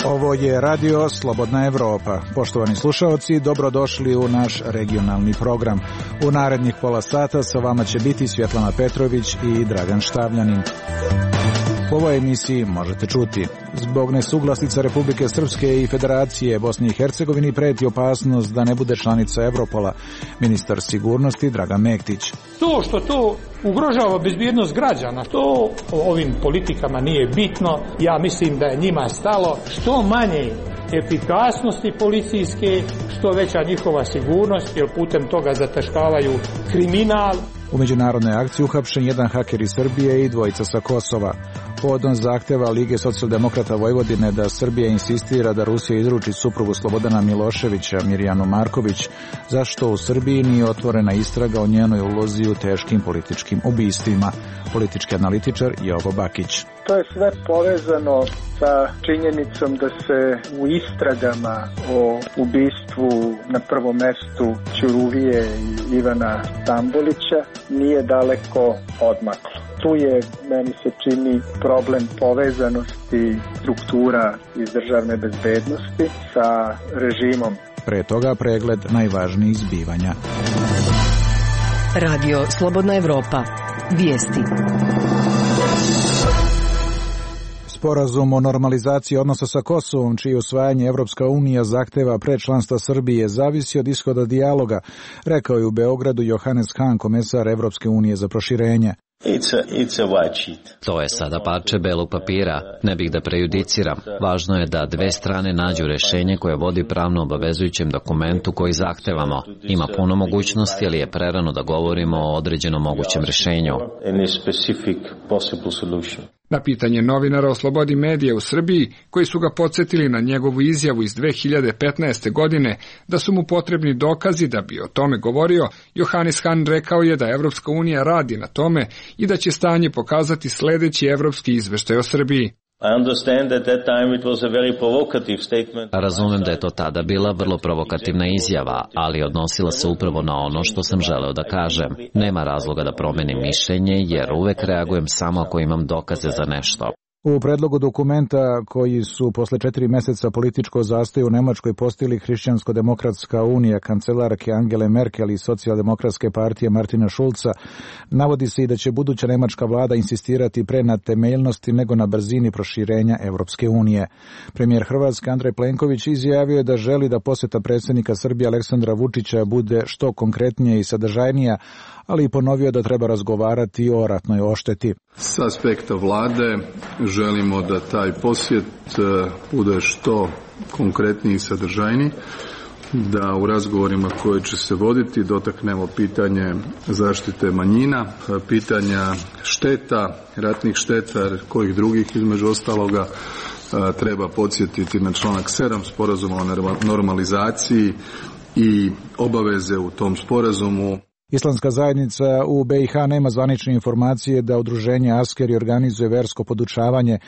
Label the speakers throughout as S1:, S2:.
S1: Ovo je Radio Slobodna Evropa. Poštovani slušaoci, dobrodošli u naš regionalni program. U narednih pola sata sa vama će biti Svjetlana Petrović i Dragan Štavljanin. U ovoj emisiji možete čuti: zbog nesuglasica Republike Srpske i Federacije Bosni i Hercegovini preti opasnost da ne bude članica Evropola. Ministar sigurnosti Dragan Mektić.
S2: To što to ugrožava bezbjednost građana, to ovim politikama nije bitno. Ja mislim da je njima stalo što manje efikasnosti policijske, što veća njihova sigurnost, jer putem toga zataškavaju kriminal.
S1: U međunarodnoj akciji uhapšen jedan haker iz Srbije i dvojica sa Kosova. Povodom zahteva Lige socijaldemokrata Vojvodine da Srbija insistira da Rusija izruči suprugu Slobodana Miloševića, Mirjanu Marković, zašto u Srbiji nije otvorena istraga o njenoj ulozi u teškim političkim ubistvima. Politički analitičar Jovo Bakić.
S3: To je sve povezano sa činjenicom da se u istragama o ubistvu na prvom mestu Ćuruvije i Ivana Stambolića nije daleko odmaklo. Tu je, meni se čini, problem povezanosti struktura iz državne bezbednosti sa režimom.
S1: Pre toga pregled najvažnijih zbivanja.
S4: Radio Slobodna Evropa. Vijesti.
S1: Sporazum o normalizaciji odnosa sa Kosovom, čije usvajanje Evropska unija zahteva pre članstva Srbije, zavisi od ishoda dijaloga, rekao je u Beogradu Johannes Hahn, komesar Evropske unije za proširenje.
S5: To je sada parče belog papira. Ne bih da prejudiciram. Važno je da dve strane nađu rešenje koje vodi pravno obavezujućem dokumentu koji zahtevamo. Ima puno mogućnosti, ali je prerano da govorimo o određenom mogućem rešenju.
S6: Na pitanje novinara o slobodi medija u Srbiji, koji su ga podsjetili na njegovu izjavu iz 2015. godine da su mu potrebni dokazi da bi o tome govorio, Johannes Hahn rekao je da Evropska unija radi na tome i da će stanje pokazati sljedeći evropski izveštaj o Srbiji.
S5: Razumem da je to tada bila vrlo provokativna izjava, ali odnosila se upravo na ono što sam želeo da kažem. Nema razloga da promenim mišljenje, jer uvek reagujem samo ako imam dokaze za nešto.
S1: U predlogu dokumenta koji su posle 4 meseca političkog zastoja u Nemačkoj postigli Hrišćansko-demokratska unija, kancelarke Angele Merkel i socijaldemokratske partije Martina Schulza, navodi se i da će buduća nemačka vlada insistirati pre na temeljnosti nego na brzini proširenja Evropske unije. Premijer Hrvatske Andrej Plenković izjavio je da želi da posjeta predsjednika Srbije Aleksandra Vučića bude što konkretnija i sadržajnija, ali i ponovio da treba razgovarati o ratnoj ošteti.
S7: S aspekta vlade želimo da taj posjet bude što konkretniji i sadržajniji, da u razgovorima koje će se voditi dotaknemo pitanje zaštite manjina, pitanja šteta, ratnih šteta, kojih drugih između ostaloga. Treba podsjetiti na članak 7 sporazuma o normalizaciji i obaveze u tom sporazumu.
S1: Islamska zajednica u BiH nema zvanične informacije da udruženje Askeri organizuje versko podučavanje,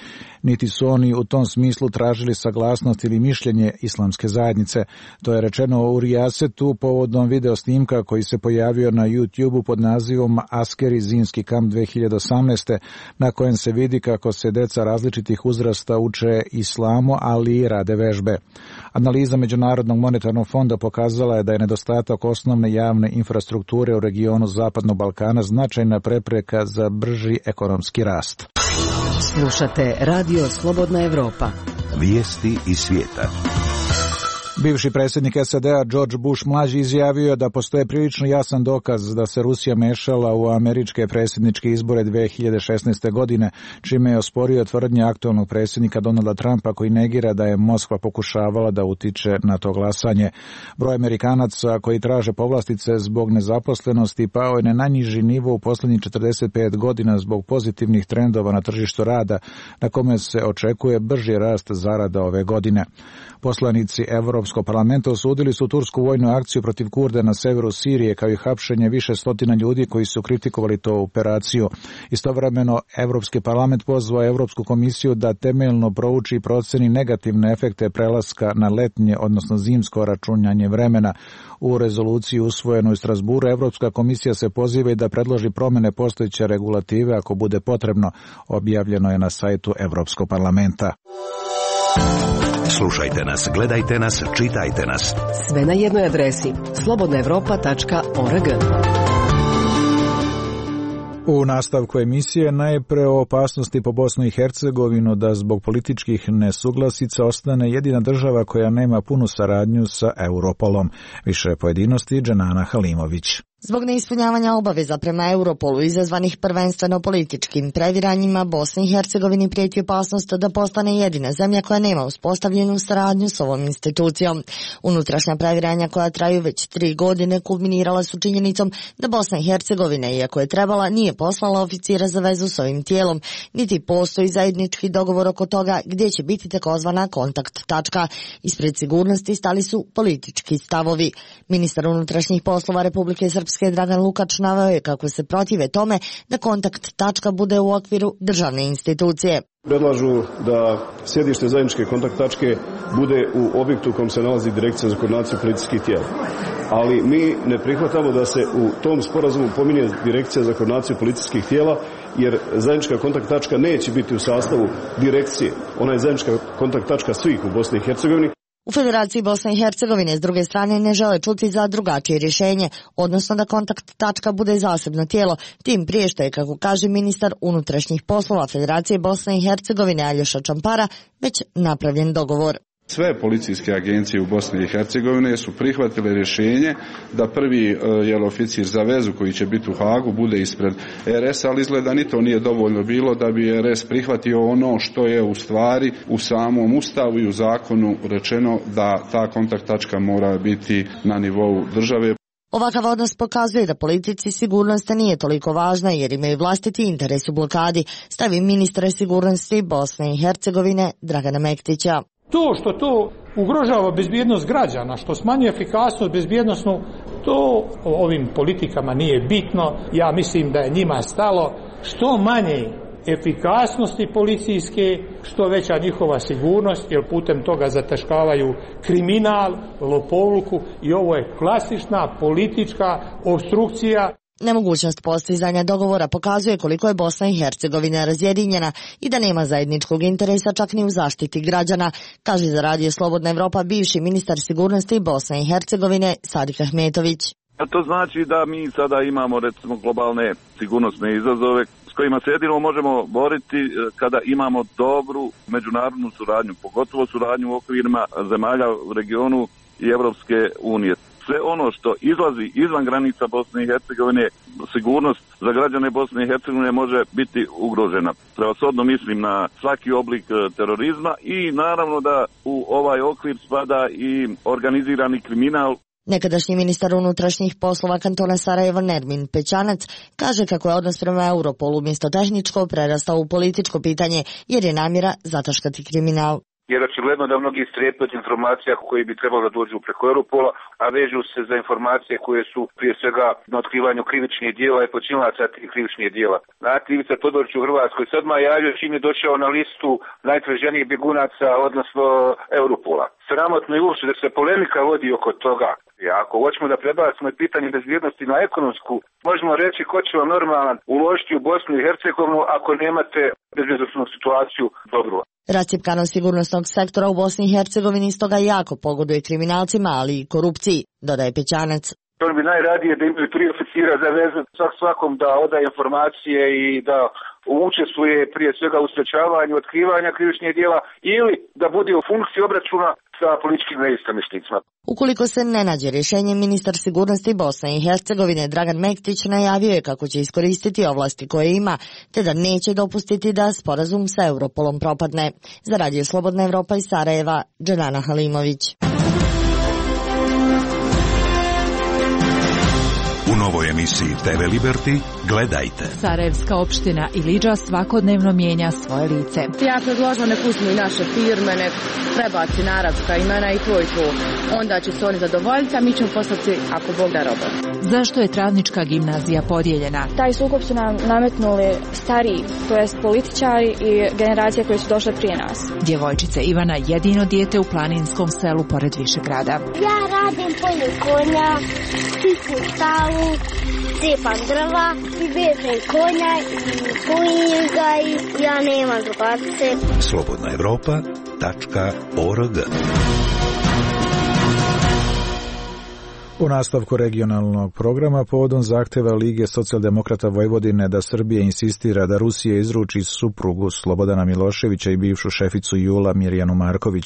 S1: niti su oni u tom smislu tražili saglasnost ili mišljenje islamske zajednice. To je rečeno u Rijasetu povodom video snimka koji se pojavio na YouTube-u pod nazivom Askeri zimski kamp 2018. na kojem se vidi kako se deca različitih uzrasta uče islamu, ali i rade vežbe. Analiza Međunarodnog monetarnog fonda pokazala je da je nedostatak osnovne javne infrastrukture u regionu Zapadnog Balkana značajna prepreka za brži ekonomski rast.
S4: Slušate Radio Slobodna Evropa.
S8: Vijesti iz svijeta.
S1: Bivši predsjednik SAD-a George Bush mlađi izjavio da postoje prilično jasan dokaz da se Rusija mešala u američke predsjedničke izbore 2016. godine, čime je osporio tvrdnje aktualnog predsjednika Donalda Trumpa koji negira da je Moskva pokušavala da utiče na to glasanje. Broj Amerikanaca koji traže povlastice zbog nezaposlenosti pao je na najniži nivo u posljednjih 45 godina zbog pozitivnih trendova na tržištu rada, na kome se očekuje brži rast zarada ove godine. Poslanici Evropske Evropskog parlamenta osudili su tursku vojnu akciju protiv Kurda na severu Sirije, kao i hapšenje više stotina ljudi koji su kritikovali tu operaciju. Istovremeno, Evropski parlament pozvao Evropsku komisiju da temeljno prouči i proceni negativne efekte prelaska na letnje, odnosno zimsko računanje vremena. U rezoluciji usvojenoj u Strasburu, Evropska komisija se poziva i da predloži promene postojeće regulative ako bude potrebno, objavljeno je na sajtu Evropskog parlamenta.
S8: Slušajte nas, gledajte nas, čitajte nas.
S4: Sve na jednoj adresi slobodnaevropa.org.
S1: U nastavku emisije najpre o opasnosti po Bosnu i Hercegovinu da zbog političkih nesuglasica ostane jedina država koja nema punu saradnju sa Europolom. Više pojedinosti Dženana Halimović.
S9: Zbog neispunjavanja obaveza prema Europolu izazvanih prvenstveno političkim previranjima, Bosni i Hercegovini prijeti opasnost da postane jedina zemlja koja nema uspostavljenu saradnju s ovom institucijom. Unutrašnja previranja koja traju već 3 godine kulminirala su činjenicom da Bosna i Hercegovina, iako je trebala, nije poslala oficira za vezu s ovim tijelom, niti postoji zajednički dogovor oko toga gdje će biti takozvana kontakt tačka. Ispred sigurnosti stali su politički stavovi. Ministar unutrašnjih poslova Republike Srpske Dragan Lukač naveo je kako se protive tome da kontakt tačka bude u okviru državne institucije.
S10: Predlažu da sjedište zajedničke kontakt tačke bude u objektu u kojem se nalazi Direkcija za koordinaciju policijskih tijela. Ali mi ne prihvatamo da se u tom sporazumu pominje Direkcija za koordinaciju policijskih tijela, jer zajednička kontakt tačka neće biti u sastavu direkcije. Ona je zajednička kontakt tačka svih u Bosni i Hercegovini.
S9: U Federaciji Bosne i Hercegovine s druge strane ne žele čuti za drugačije rješenje, odnosno da kontakt tačka bude zasebno tijelo, tim prije što je, kako kaže ministar unutrašnjih poslova Federacije Bosne i Hercegovine Aljoša Čampara, već napravljen dogovor.
S11: Sve policijske agencije u Bosni i Hercegovine su prihvatile rješenje da prvi oficir za vezu koji će biti u Hagu bude ispred RS, ali izgleda ni to nije dovoljno bilo da bi RS prihvatio ono što je u stvari u samom Ustavu i u zakonu rečeno da ta kontakt tačka mora biti na nivou države.
S9: Ovakav odnos pokazuje da politici sigurnost nije toliko važna jer imaju vlastiti interes u blokadi, stavi ministar sigurnosti Bosne i Hercegovine Dragana Mektića.
S2: To što to ugrožava bezbjednost građana, što smanjuje efikasnost bezbjednosnu, to ovim politikama nije bitno. Ja mislim da je njima stalo što manje efikasnosti policijske, što veća njihova sigurnost, jer putem toga zataškavaju kriminal, lopovluku i ovo je klasična politička opstrukcija.
S9: Nemogućnost postizanja dogovora pokazuje koliko je Bosna i Hercegovina razjedinjena i da nema zajedničkog interesa čak ni u zaštiti građana, kaže za Radio Slobodna Evropa bivši ministar sigurnosti Bosne i Hercegovine Sadik Ahmetović.
S12: To znači da mi sada imamo recimo globalne sigurnosne izazove s kojima se jedino možemo boriti kada imamo dobru međunarodnu suradnju, pogotovo suradnju u okvirima zemalja u regionu i Evropske unije. Sve ono što izlazi izvan granica Bosne i Hercegovine, sigurnost za građane Bosne i Hercegovine može biti ugrožena. Prevashodno mislim na svaki oblik terorizma i naravno da u ovaj okvir spada i organizirani kriminal.
S9: Nekadašnji ministar unutrašnjih poslova kantona Sarajevo Nermin Pećanac kaže kako je odnos prema Europolu umjesto tehničko prerastao u političko pitanje jer je namjera zataškati kriminal.
S13: Jer očigledno da mnogi strepe od informacija koji bi trebalo da dođu preko Europola, a vežu se za informacije koje su prije svega na otkrivanju krivičnih dijela i počinilaca tih krivičnih dijela. Znate, Ivica Todorić u Hrvatskoj se odmah javio čim je došao na listu najtraženijih bjegunaca, odnosno Europola. Sramotno je uopšte da se polemika vodi oko toga. Ako hoćemo da prebacimo pitanje bezbjednosti na ekonomsku, možemo reći ko će vam normalan uložiti u Bosnu i Hercegovinu ako nemate bezbjednosnu situaciju dobru.
S9: Rascjepkanost sigurnosnog sektora u Bosni i Hercegovini stoga jako pogoduje kriminalcima, ali i korupciji, dodaje Pećanac.
S13: On bi najradije da imaju 3 oficira za vezu svakom da odaje informacije i da učestvuje prije svega u sprečavanju otkrivanja krivičnih djela ili da bude u funkciji obračuna sa političkim neistomišljenicima.
S9: Ukoliko se ne nađe rješenje, ministar sigurnosti Bosne i Hercegovine Dragan Mektić najavio je kako će iskoristiti ovlasti koje ima, te da neće dopustiti da sporazum sa Europolom propadne. Za Radio Slobodna Evropa iz Sarajeva, Dženana Halimović.
S8: U novoj emisiji TV Liberty gledajte.
S14: Sarajevska opština Ilidža svakodnevno mijenja svoje lice.
S15: Ja predložila nek uzmu i naše firme, nek prebaci na arapska imena i to. Onda će se oni zadovoljiti, a mi ćemo poslati, ako Bog da, roba.
S14: Zašto je Travnička gimnazija podijeljena?
S16: Taj sukob su nam nametnuli stariji, to jest političari i generacije koje su došle prije nas.
S14: Djevojčica Ivana jedino dijete u planinskom selu pored Višegrada.
S17: Ja radim polje konja, čistim štalu, cepam drva i vežem konja i pojim ga i ja nemam drugarice.
S8: slobodnaevropa.org.
S1: U nastavku regionalnog programa povodom zahtjeva Lige socijaldemokrata Vojvodine da Srbija insistira da Rusija izruči suprugu Slobodana Miloševića i bivšu šeficu JUL-a Mirjanu Marković,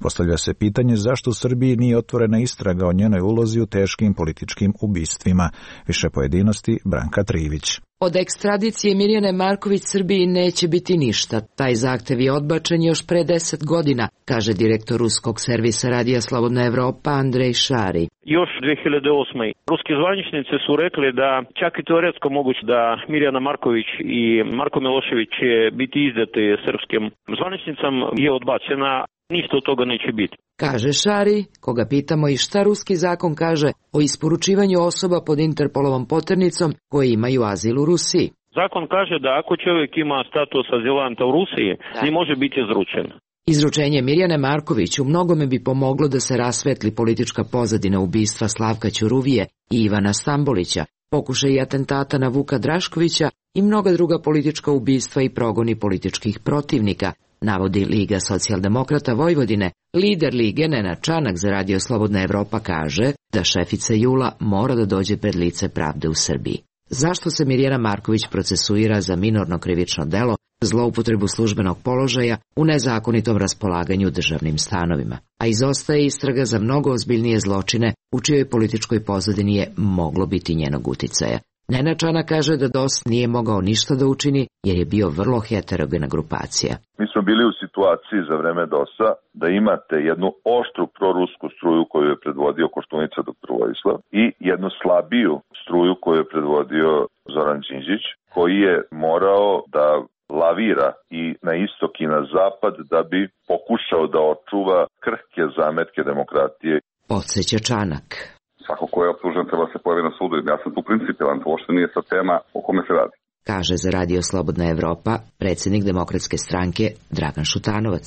S1: postavlja se pitanje zašto u Srbiji nije otvorena istraga o njenoj ulozi u teškim političkim ubistvima. Više pojedinosti Branka Trivić.
S18: Od ekstradicije Mirjane Marković Srbiji neće biti ništa. Taj zahtev je odbačen još pre 10 godina, kaže direktor ruskog servisa Radija Slobodna Evropa Andrej Šari.
S19: Još 2008. Ruski zvaničnici su rekli da čak i teoretsko moguće da Mirjana Marković i Marko Milošević će biti izdati srpskim zvaničnicama je odbačena. Ništa od toga neće biti.
S18: Kaže Šari, koga pitamo i šta ruski zakon kaže o isporučivanju osoba pod Interpolovom poternicom koji imaju azil u Rusiji.
S19: Zakon kaže da ako čovjek ima status azilanta u Rusiji, ne može biti izručen.
S18: Izručenje Mirjane Marković u mnogome bi pomoglo da se rasvetli politička pozadina ubistva Slavka Ćuruvije i Ivana Stambolića, pokušaj atentata na Vuka Draškovića i mnoga druga politička ubistva i progoni političkih protivnika, navodi Liga socijaldemokrata Vojvodine. Lider Lige Nenad Čanak za Radio Slobodna Evropa kaže da šefica JUL-a mora da dođe pred lice pravde u Srbiji. Zašto se Mirjana Marković procesuira za minorno krivično delo, zloupotrebu službenog položaja u nezakonitom raspolaganju državnim stanovima? A izostaje istraga za mnogo ozbiljnije zločine u čijoj političkoj pozadini je moglo biti njenog uticaja. Nenad Čanak kaže da DOS nije mogao ništa da učini jer je bio vrlo heterogena grupacija.
S20: Mi smo bili u situaciji za vreme DOS-a da imate jednu oštru prorusku struju koju je predvodio Koštunica dr. Vojislav i jednu slabiju struju koju je predvodio Zoran Đinđić, koji je morao da lavira i na istok i na zapad da bi pokušao da očuva krhke zametke demokratije.
S18: Podseća Čanak.
S21: Svako ko je optužen treba se pojavi na sudu. Ja sam tu principijelan, to uopšte nije sad tema o kome se radi.
S18: Kaže za Radio Slobodna Evropa predsjednik Demokratske stranke Dragan Šutanovac.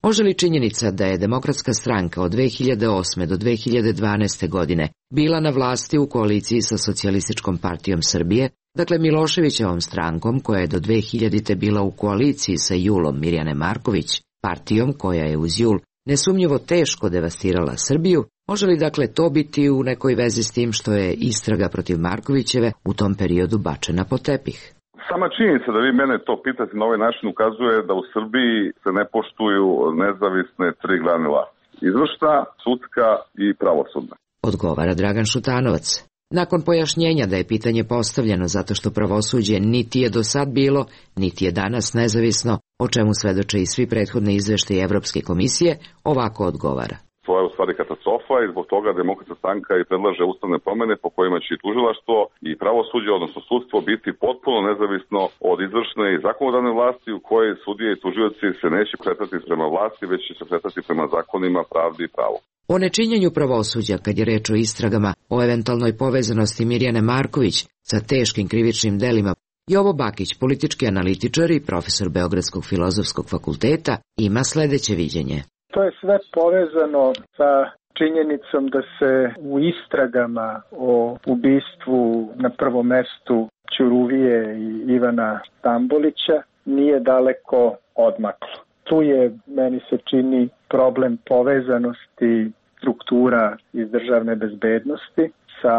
S18: Može li činjenica da je Demokratska stranka od 2008. do 2012. godine bila na vlasti u koaliciji sa Socijalističkom partijom Srbije, dakle Miloševićevom strankom koja je do 2000. bila u koaliciji sa JUL-om Mirjane Marković, partijom koja je uz JUL nesumnjivo teško devastirala Srbiju, može li dakle to biti u nekoj vezi s tim što je istraga protiv Markovićeve u tom periodu bačena pod tepih?
S21: Sama činjenica da vi mene to pitate na ovaj način ukazuje da u Srbiji se ne poštuju nezavisne tri grane vlasti. Izvršna, sudska i pravosudna.
S18: Odgovara Dragan Šutanovac. Nakon pojašnjenja da je pitanje postavljeno zato što pravosuđe niti je do sad bilo, niti je danas nezavisno, o čemu svedoče i svi prethodni izveštaji Evropske komisije, ovako odgovara.
S21: To je u stvari katastrofa i zbog toga Demokratska stranka i predlaže ustavne promjene po kojima će i tužilaštvo i pravosuđe, odnosno sudstvo, biti potpuno nezavisno od izvršne i zakonodavne vlasti u kojoj sudije i tužioci se neće kretati prema vlasti, već će se kretati prema zakonima, pravdi i pravu.
S18: O nečinjenju pravosuđa, kad je reč o istragama o eventualnoj povezanosti Mirjane Marković sa teškim krivičnim delima, Jovo Bakić, politički analitičar i profesor Beogradskog filozofskog fakulteta, ima sledeće viđenje.
S3: To je sve povezano sa činjenicom da se u istragama o ubistvu na prvom mestu Ćuruvije i Ivana Stambolića nije daleko odmaklo. Tu je, meni se čini, problem povezanosti struktura iz državne bezbednosti sa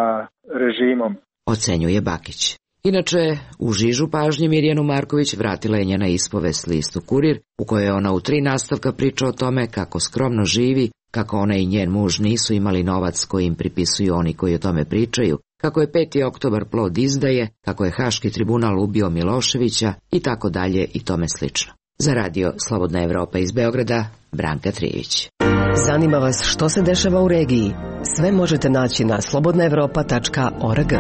S3: režimom.
S18: Ocenjuje Bakić. Inače, u žižu pažnje Mirjanu Marković vratila je njena ispovest listu Kurir, u kojoj ona u 3 nastavka priča o tome kako skromno živi, kako ona i njen muž nisu imali novac koji im pripisuju oni koji o tome pričaju, kako je 5. oktobar plod izdaje, kako je Haški tribunal ubio Miloševića i tako dalje i tome slično. Za Radio Slobodna Evropa iz Beograda, Branka Trivić.
S4: Zanima vas što se dešava u regiji? Sve možete naći na slobodnaevropa.org.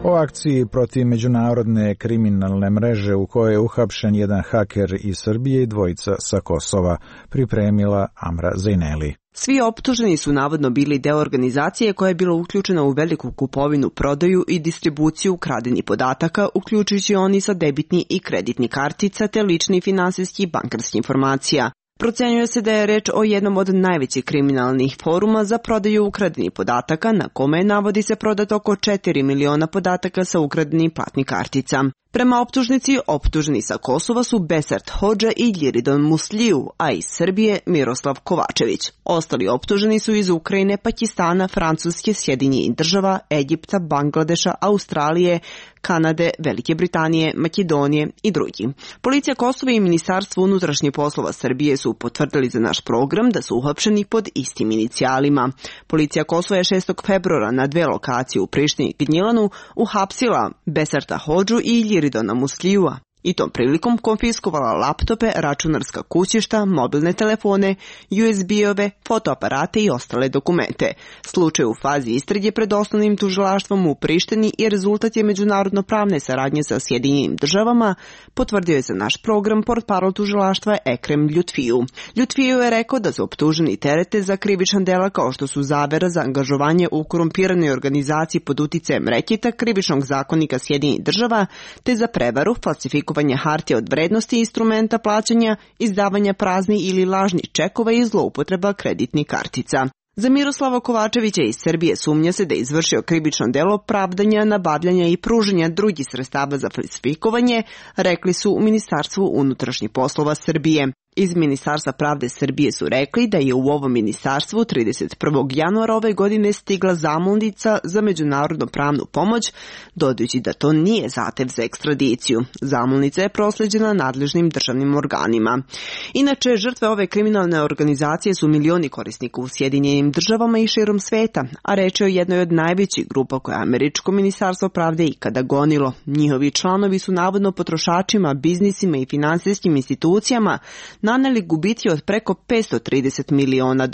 S1: O akciji protiv međunarodne kriminalne mreže u kojoj je uhapšen jedan haker iz Srbije i dvojica sa Kosova, pripremila Amra Zejneli.
S6: Svi optuženi su navodno bili deo organizacije koja je bila uključena u veliku kupovinu, prodaju i distribuciju ukradenih podataka, uključujući oni sa debitni i kreditni kartica te lični finansijski i bankarskih informacija. Procenjuje se da je reč o jednom od najvećih kriminalnih foruma za prodaju ukradenih podataka, na kome navodi se prodat oko 4 miliona podataka sa ukradenih platnih kartica. Prema optužnici, optuženi sa Kosova su Besart Hodža i Ljiridon Musliju, a iz Srbije Miroslav Kovačević. Ostali optuženi su iz Ukrajine, Pakistana, Francuske, Sjedinjenih Država, Egipta, Bangladeša, Australije, Kanade, Velike Britanije, Makedonije i drugi. Policija Kosova i Ministarstvo unutrašnjih poslova Srbije su potvrdili za naš program da su uhapšeni pod istim inicijalima. Policija Kosova je 6. februara na 2 lokacije u Prištini i Gnjilanu uhapsila Besarta Hodžu i Ljiridona Muslijua i tom prilikom konfiskovala laptope, računarska kućišta, mobilne telefone, USB-ove, fotoaparate i ostale dokumente. Slučaj u fazi istrage pred osnovnim tužilaštvom u Prištini i rezultat je međunarodno pravne saradnje sa Sjedinjenim Državama, potvrdio je za naš program portparol tužilaštva Ekrem Ljutfiju. Ljutfiju je rekao da su optuženi terete za krivična dela kao što su zavera za angažovanje u korumpiranoj organizaciji pod uticajem reketa krivičnog zakonika Sjedinjenih Država, te za prevaru, falsifikovanje hartija od vrednosti instrumenta plaćanja, izdavanja praznih ili lažnih čekova i zloupotreba kreditnih kartica. Za Miroslava Kovačevića iz Srbije sumnja se da je izvršio krivično delo pravdanja, nabavljanja i pružanja drugih sredstava za falsifikovanje, rekli su u Ministarstvu unutrašnjih poslova Srbije. Iz Ministarstva pravde Srbije su rekli da je u ovom ministarstvu 31. januara ove godine stigla zamolnica za međunarodnu pravnu pomoć, dodajući da to nije zahtev za ekstradiciju. Zamolnica je prosleđena nadležnim državnim organima. Inače, žrtve ove kriminalne organizacije su milioni korisnika u Sjedinjenim Državama i širom sveta, a reč je o jednoj od najvećih grupa koje je američko ministarstvo pravde ikada gonilo. Njihovi članovi su navodno potrošačima, biznisima i finansijskim institucijama naneli gubici od preko $530 miliona.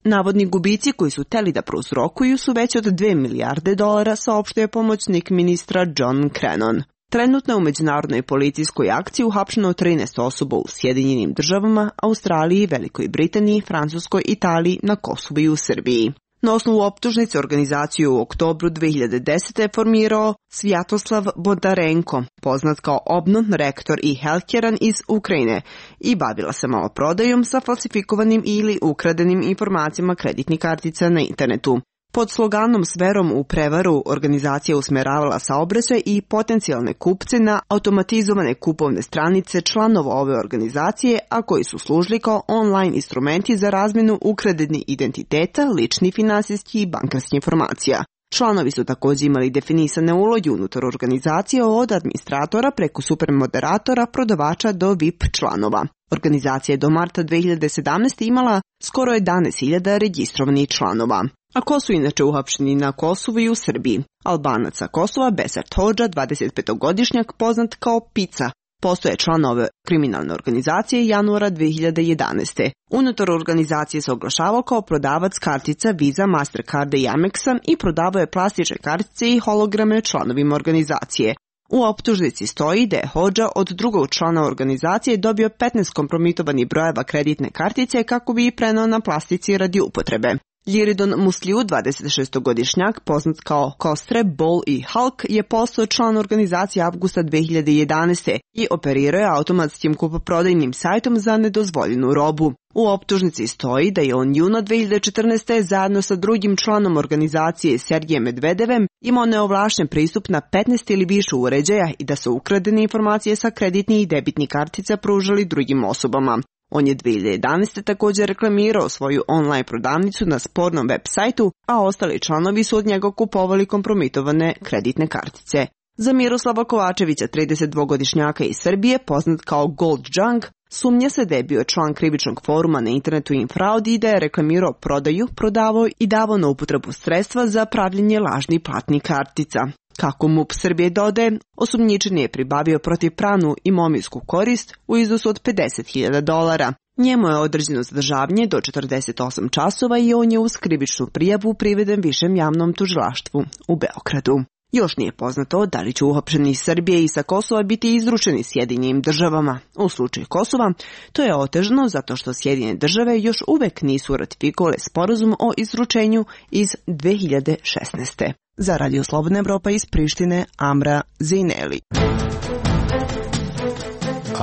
S6: Navodni gubici koji su teli da prouzrokuju su veći od $2 milijarde, saopštio je pomoćnik ministra John Crennan. Trenutno je u međunarodnoj policijskoj akciji uhapšeno 13 osoba u Sjedinjenim Državama, Australiji, Velikoj Britaniji, Francuskoj, Italiji, na Kosovu i u Srbiji. Na osnovu optužnice organizaciju u oktobru 2010. je formirao Svjatoslav Bondarenko, poznat kao Obnon, rektor i healthcarean iz Ukrajine, i bavila se maloprodajom sa falsifikovanim ili ukradenim informacijama kreditnih kartica na internetu. Pod sloganom s verom u prevaru organizacija usmeravala saobraćaj i potencijalne kupce na automatizovane kupovne stranice članova ove organizacije, a koji su služili kao online instrumenti za razmjenu ukradenih identiteta, ličnih finansijskih i bankarskih informacija. Članovi su također imali definisane uloge unutar organizacije od administratora preko supermoderatora, prodavača do VIP članova. Organizacija je do marta 2017. imala skoro 11.000 registrovanih članova. A ko su inače uhapšeni na Kosovu i u Srbiji? Albanac sa Kosova Besart Hodža, 25-godišnjak, poznat kao Pica, postoje član ove kriminalne organizacije januara 2011. Unutar organizacije se oglašavao kao prodavac kartica Visa, Mastercarda i Amexa i prodavao je plastične kartice i holograme članovima organizacije. U optužnici stoji da je Hodža od drugog člana organizacije dobio 15 kompromitovanih brojeva kreditne kartice kako bi ih preneo na plastici radi upotrebe. Ljiridon Musliju, 26-godišnjak, poznat kao Kostre, Bol i Hulk, je postao član organizacije avgusta 2011. i operirao je automatskim kupoprodajnim sajtom za nedozvoljenu robu. U optužnici stoji da je on juna 2014. zajedno sa drugim članom organizacije Sergejem Medvedevem imao neovlašten pristup na 15 ili više uređaja i da su ukradene informacije sa kreditnih i debitnih kartica pružali drugim osobama. On je 2011. također reklamirao svoju online prodavnicu na spornom web sajtu, a ostali članovi su od njega kupovali kompromitovane kreditne kartice. Za Miroslava Kovačevića, 32-godišnjaka iz Srbije, poznat kao Gold Junk, sumnja se da je bio član krivičnog foruma na internetu Infraud i da je reklamirao prodaju, prodavao i davao na upotrebu sredstva za pravljenje lažnih platnih kartica. Kako MUP Srbije dodaje, osumnjičeni je pribavio protivpravnu imovinsku korist u iznosu od $50.000. Njemu je određeno zadržavanje do 48 časova i on je uz krivičnu prijavu priveden Višem javnom tužilaštvu u Beogradu. Još nije poznato da li će uhapšeni iz Srbije i sa Kosova biti izručeni Sjedinjenim državama. U slučaju Kosova to je otežano zato što Sjedinjene države još uvek nisu ratifikovale sporazum o izručenju iz 2016. Za Radio Slobodna Evropa iz Prištine, Amra Zineli.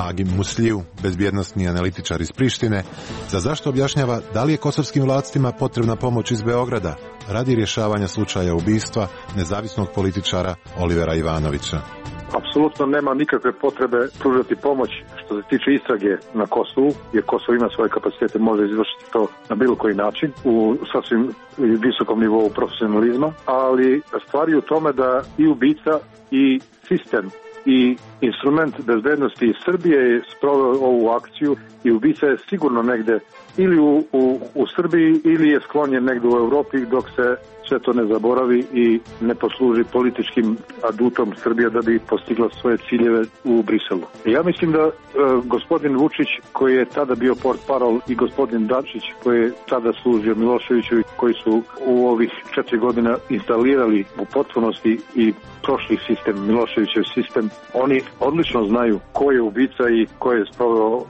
S5: Agim Musliju, bezbjednosni analitičar iz Prištine, za zašto objašnjava da li je kosovskim vlastima potrebna pomoć iz Beograda radi rješavanja slučaja ubistva nezavisnog političara Olivera Ivanovića.
S22: Apsolutno nema nikakve potrebe pružati pomoć što se tiče istrage na Kosovu, jer Kosovo ima svoje kapacitete, može izvršiti to na bilo koji način u sasvim visokom nivou profesionalizma, ali stvari u tome da i ubica i sistem i instrument bezbednosti Srbije je sproveo ovu akciju i ubica je sigurno negde ili u Srbiji ili je sklonjen negde u Evropi dok se sve to ne zaboravi i ne posluži političkim adutom Srbija da bi postigla svoje ciljeve u Briselu. Ja mislim da gospodin Vučić koji je tada bio portparol i gospodin Dačić koji je tada služio Miloševiću i koji su u ovih 4 godina instalirali u potpunosti i prošli sistem, Miloševićev sistem, oni odlično znaju ko je ubica i ko je sproveo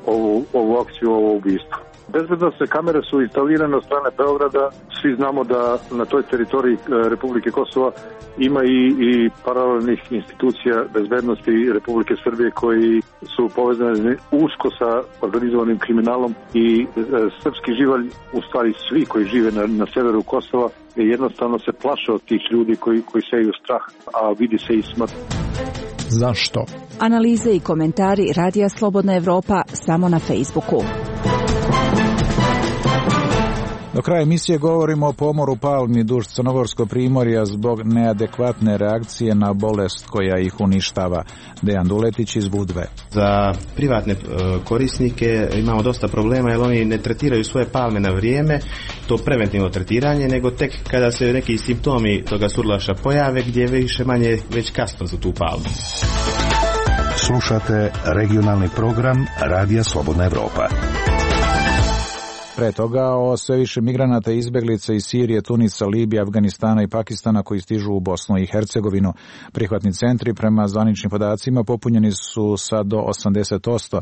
S22: ovu akciju, ovo ubistvo. Bezbednosne kamere su instalirane od strane Beograda. Svi znamo da na toj teritoriji Republike Kosova ima i paralelnih institucija bezbednosti Republike Srbije koji su povezani usko sa organizovanim kriminalom i srpski živalj, u stvari svi koji žive na severu Kosova, jednostavno se plaše od tih ljudi koji seju strah, a vidi se i smrt.
S1: Zašto?
S14: Analize i komentari Radija Slobodna Evropa samo na Facebooku.
S1: Do kraja emisije govorimo o pomoru palmi duž Crnogorskog primorja zbog neadekvatne reakcije na bolest koja ih uništava. Dejan Duletić iz Budve.
S23: Za privatne korisnike imamo dosta problema jer oni ne tretiraju svoje palme na vrijeme, to preventivno tretiranje, nego tek kada se neki simptomi toga surlaša pojave gdje je više manje već kasno za tu palmu.
S8: Slušate regionalni program Radija Slobodna Evropa.
S1: Pre toga o sve više migranata i izbeglica iz Sirije, Tunisa, Libije, Afganistana i Pakistana koji stižu u Bosnu i Hercegovinu. Prihvatni centri prema zvaničnim podacima popunjeni su sad do 80%.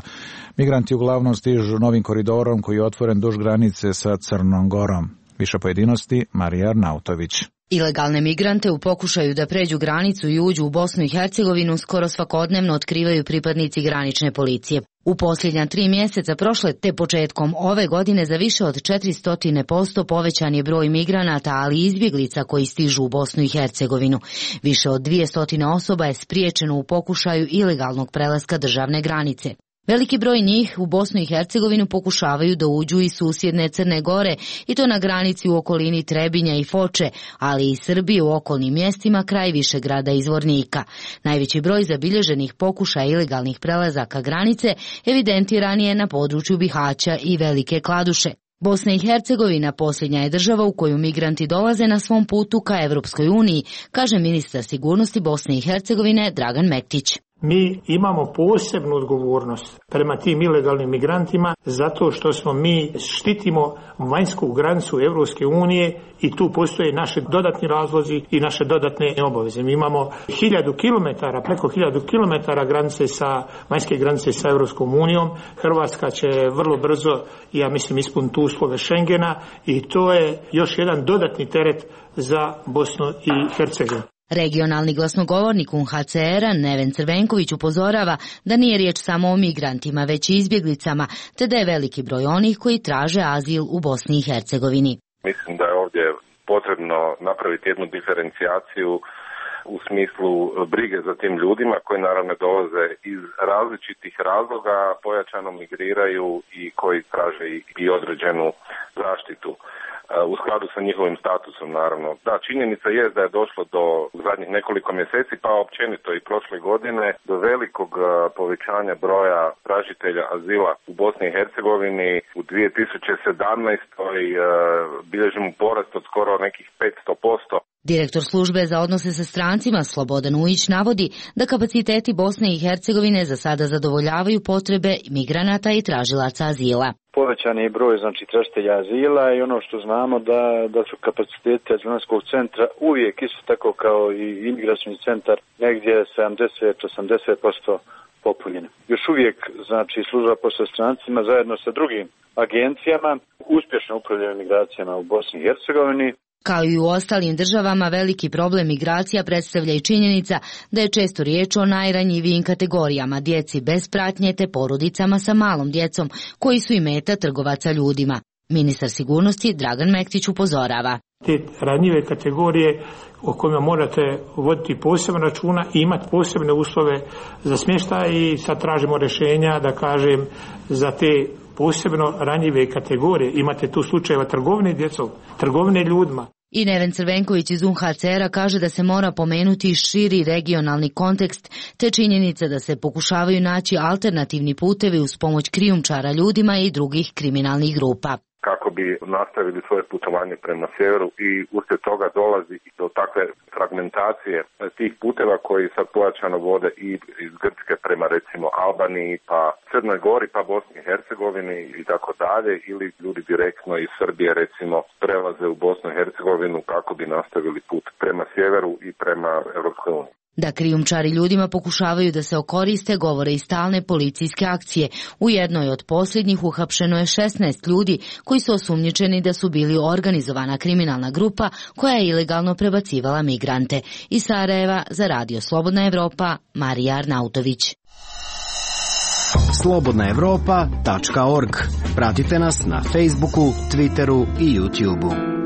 S1: Migranti uglavnom stižu novim koridorom koji je otvoren duž granice sa Crnom Gorom. Više pojedinosti, Marija Arnautović.
S24: Ilegalne migrante u pokušaju da pređu granicu i uđu u Bosnu i Hercegovinu skoro svakodnevno otkrivaju pripadnici granične policije. U posljednja 3 mjeseca prošle te početkom ove godine za više od 400% povećan je broj migranata, ali i izbjeglica koji stižu u Bosnu i Hercegovinu. Više od 200 osoba je spriječeno u pokušaju ilegalnog prelaska državne granice. Veliki broj njih u Bosnu i Hercegovinu pokušavaju da uđu iz susjedne Crne Gore i to na granici u okolini Trebinja i Foče, ali i Srbije u okolnim mjestima kraj Višegrada i Zvornika. Najveći broj zabilježenih pokušaja ilegalnih prelazaka granice evidentiran je na području Bihaća i Velike Kladuše. Bosna i Hercegovina posljednja je država u koju migranti dolaze na svom putu ka Evropskoj uniji, kaže ministar sigurnosti Bosne i Hercegovine Dragan Mektić.
S2: Mi imamo posebnu odgovornost prema tim ilegalnim migrantima zato što mi štitimo vanjsku granicu Evropske unije i tu postoje naši dodatni razlozi i naše dodatne obaveze. Mi imamo 1000 kilometara, preko 1000 kilometara vanjske granice sa Evropskom unijom. Hrvatska će vrlo brzo, ja mislim, ispuniti uslove Schengena i to je još jedan dodatni teret za Bosnu i Hercegovinu.
S24: Regionalni glasnogovornik UNHCR-a Neven Crvenković upozorava da nije riječ samo o migrantima, već i izbjeglicama, te da je veliki broj onih koji traže azil u Bosni i Hercegovini.
S25: Mislim da je ovdje potrebno napraviti jednu diferencijaciju u smislu brige za tim ljudima koji naravno dolaze iz različitih razloga, pojačano migriraju i koji traže i određenu zaštitu. U skladu sa njihovim statusom, naravno. Da, činjenica je da je došlo do zadnjih nekoliko mjeseci, pa općenito i prošle godine, do velikog povećanja broja tražitelja azila u Bosni i Hercegovini. U 2017. bilježimo porast od skoro nekih 500%.
S24: Direktor službe za odnose sa strancima Slobodan Ujić navodi da kapaciteti Bosne i Hercegovine za sada zadovoljavaju potrebe migranata i tražilaca azila.
S22: Povećan je broj tražitelja azila i ono što znamo da su kapaciteti azilskog centra uvijek isto tako kao i imigracioni centar negdje 70-80% popunjeni. Još uvijek služba posla strancima zajedno sa drugim agencijama uspješno upravljaju migracijama u Bosni i Hercegovini.
S24: Kao i u ostalim državama, veliki problem migracija predstavlja i činjenica da je često riječ o najranjivijim kategorijama, djeci bez pratnje te porodicama sa malom djecom, koji su i meta trgovaca ljudima. Ministar sigurnosti Dragan Mektić upozorava.
S2: Te ranjive kategorije o kojima morate voditi posebno računa i imati posebne uslove za smještaj i sad tražimo rješenja, da kažem, za te posebno ranjive kategorije. Imate tu slučajeva trgovine djecom, trgovine ljudima.
S24: I Neven Crvenković iz UNHCR-a kaže da se mora pomenuti širi regionalni kontekst, te činjenica da se pokušavaju naći alternativni putevi uz pomoć krijumčara ljudima i drugih kriminalnih grupa.
S25: Kako bi nastavili svoje putovanje prema sjeveru i uslijed toga dolazi i do takve fragmentacije tih puteva koji sad pojačano vode i iz Grčke prema recimo Albaniji, pa Crnoj Gori, pa Bosni i Hercegovini i tako dalje, ili ljudi direktno iz Srbije recimo prelaze u Bosnu i Hercegovinu kako bi nastavili put prema sjeveru i prema Europskoj uniji.
S24: Da krijumčari ljudima pokušavaju da se okoriste, govore i stalne policijske akcije. U jednoj od posljednjih uhapšeno je 16 ljudi koji su osumnjičeni da su bili organizovana kriminalna grupa koja je ilegalno prebacivala migrante. Iz Sarajeva za Radio Slobodna Evropa, Marija Arnautović.
S7: slobodnaevropa.org. Pratite nas na Facebooku, Twitteru i YouTubeu.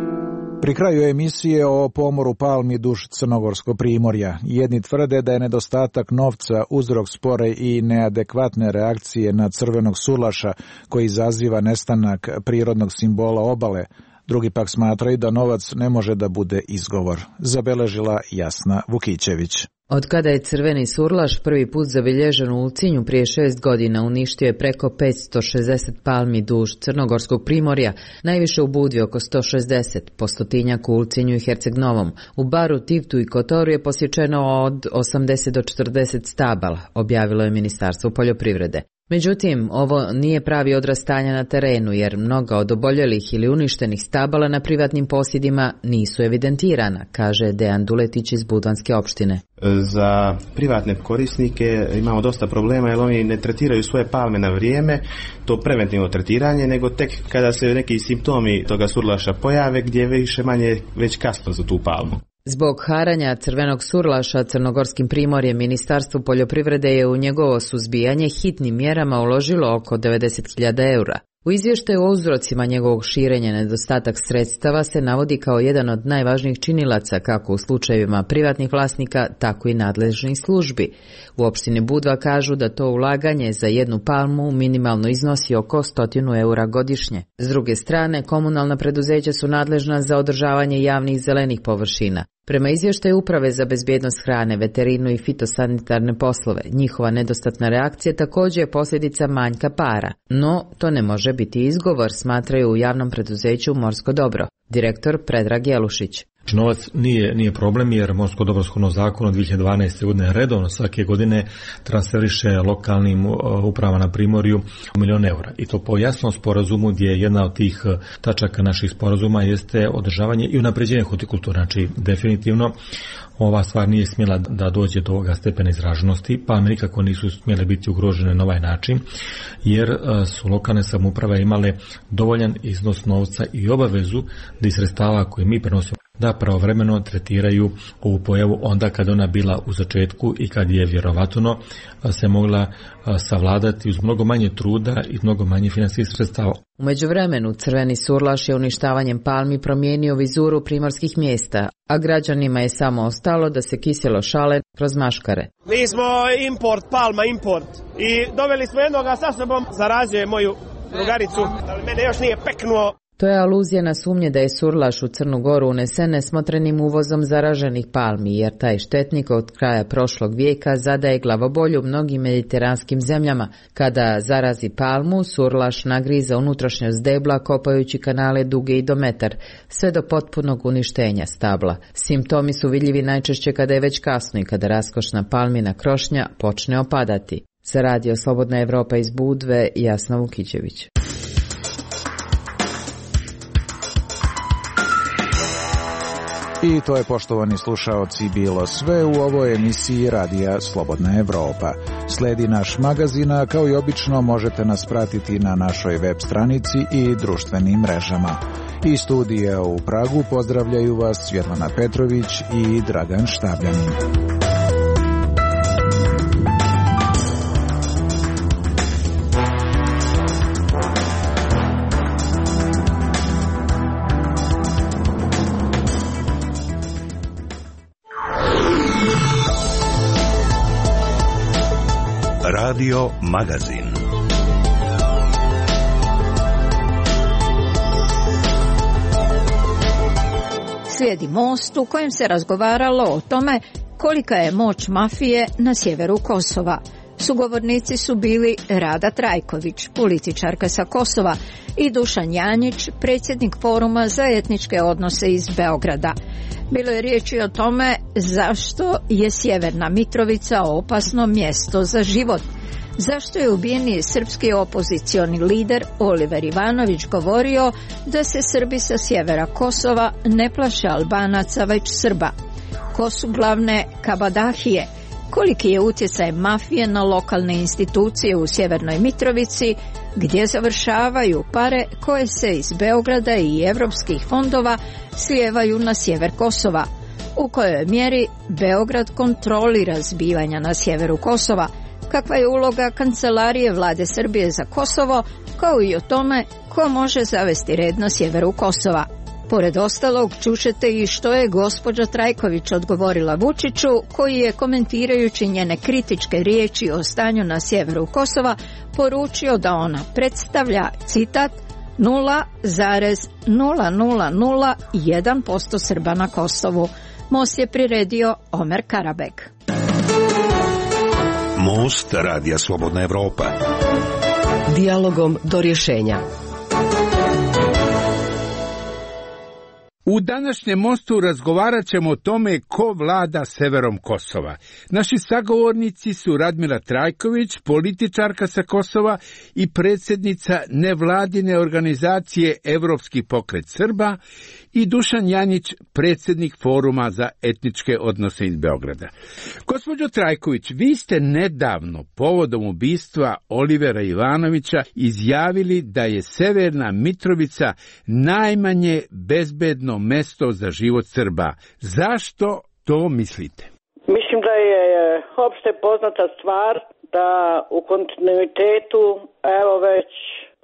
S1: Pri kraju emisije o pomoru palmi duž Crnogorskog primorja. Jedni tvrde da je nedostatak novca uzrok spore i neadekvatne reakcije na crvenog surlaša koji izaziva nestanak prirodnog simbola obale. Drugi pak smatraju da novac ne može da bude izgovor. Zabeležila Jasna Vukićević.
S18: Od kada je crveni surlaš prvi put zabilježen u Ulcinju prije 6 godina, uništio je preko 560 palmi duž Crnogorskog primorja, najviše u Budvi oko 160, po stotinjak u Ulcinju i Herceg Novom. U Baru, Tivtu i Kotoru je posječeno od 80 do 40 stabala, objavilo je Ministarstvo poljoprivrede. Međutim, ovo nije pravi odraz stanja na terenu, jer mnoga od oboljelih ili uništenih stabala na privatnim posjedima nisu evidentirana, kaže Dejan Duletić iz Budvanske opštine.
S23: Za privatne korisnike imamo dosta problema jer oni ne tretiraju svoje palme na vrijeme, to preventivno tretiranje, nego tek kada se neki simptomi toga surlaša pojave gdje je više manje već kasno za tu palmu.
S18: Zbog haranja crvenog surlaša Crnogorskim primorjem, Ministarstvo poljoprivrede je u njegovo suzbijanje hitnim mjerama uložilo oko 90.000 eura. U izvještaju o uzrocima njegovog širenja nedostatak sredstava se navodi kao jedan od najvažnijih činilaca kako u slučajevima privatnih vlasnika, tako i nadležnih službi. U opštini Budva kažu da to ulaganje za jednu palmu minimalno iznosi oko 100 eura godišnje. S druge strane, komunalna preduzeća su nadležna za održavanje javnih zelenih površina. Prema izvještaju Uprave za bezbjednost hrane, veterinu i fitosanitarne poslove, njihova nedostatna reakcija također je posljedica manjka para. No, to ne može biti izgovor, smatraju u javnom preduzeću Morsko dobro. Direktor Predrag Jelušić.
S10: Novac nije problem jer Morsko dobro shodno zakonu od 2012. godine redovno svake godine transferiše lokalnim upravama na primorju $1.000.000 eura. I to po jasnom sporazumu gdje jedna od tih tačaka naših sporazuma jeste održavanje i unapređenje hortikulture. Znači, definitivno ova stvar nije smjela da dođe do ovoga stepena izraženosti, pa nikako nisu smjele biti ugrožene na ovaj način, jer su lokalne samouprave imale dovoljan iznos novca i obavezu da iz sredstava koje mi prenosimo da pravovremeno tretiraju ovu pojavu onda kad ona bila u začetku i kad je vjerovatno se mogla savladati uz mnogo manje truda i mnogo manje financijskih sredstava.
S18: U međuvremenu crveni surlaš je uništavanjem palmi promijenio vizuru primorskih mjesta, a građanima je samo ostalo da se kiselo šale kroz maškare.
S11: Mi smo palma import i doveli smo jednoga sa sobom, zarazio je moju drugaricu, ali mene još nije peknuo.
S18: To je aluzija na sumnje da je surlaš u Crnu Goru unesen nesmotrenim uvozom zaraženih palmi, jer taj štetnik od kraja prošlog vijeka zadaje glavobolju mnogim mediteranskim zemljama. Kada zarazi palmu, surlaš nagriza unutrašnjost debla kopajući kanale duge i do metar, sve do potpunog uništenja stabla. Simptomi su vidljivi najčešće kada je već kasno i kada raskošna palmina krošnja počne opadati. Za Radio Slobodna Evropa iz Budve, Jasna Vukićević.
S1: I to je, poštovani slušaoci, bilo sve u ovoj emisiji Radija Slobodna Evropa. Sledi naš magazin, a kao i obično možete nas pratiti na našoj web stranici i društvenim mrežama. Iz studija u Pragu pozdravljaju vas Svjetlana Petrović i Dragan Štabljanin.
S8: Radio Magazin.
S9: Slijedi Most u kojem se razgovaralo o tome kolika je moć mafije na sjeveru Kosova. Sugovornici su bili Rada Trajković, političarka sa Kosova, i Dušan Janjić, predsjednik Foruma za etničke odnose iz Beograda. Bilo je riječi o tome zašto je Sjeverna Mitrovica opasno mjesto za život. Zašto je ubijeni srpski opozicioni lider Oliver Ivanović govorio da se Srbi sa sjevera Kosova ne plaše Albanaca već Srba? Ko su glavne kabadahije? Koliki je utjecaj mafije na lokalne institucije u Sjevernoj Mitrovici, gdje završavaju pare koje se iz Beograda i evropskih fondova slijevaju na sjever Kosova? U kojoj mjeri Beograd kontrolira zbivanja na sjeveru Kosova? Kakva je uloga Kancelarije Vlade Srbije za Kosovo, kao i o tome ko može zavesti red na sjeveru Kosova? Pored ostalog, čućete i što je gospođa Trajković odgovorila Vučiću, koji je, komentirajući njene kritičke riječi o stanju na sjeveru Kosova, poručio da ona predstavlja, citat, 0,0001% Srba na Kosovu. Most je priredio Omer Karabek.
S8: Most Radija Slobodna Evropa.
S4: Dijalogom do rješenja.
S12: U današnjem Mostu razgovarat ćemo o tome ko vlada severom Kosova. Naši sagovornici su Radmila Trajković, političarka sa Kosova i predsjednica nevladine organizacije Evropski pokret Srba, i Dušan Janjić, predsjednik Foruma za etničke odnose iz Beograda. Gospođo Trajković, vi ste nedavno povodom ubistva Olivera Ivanovića izjavili da je Severna Mitrovica najmanje bezbedno mesto za život Srba. Zašto to mislite?
S13: Mislim da je opšte poznata stvar da u kontinuitetu, evo već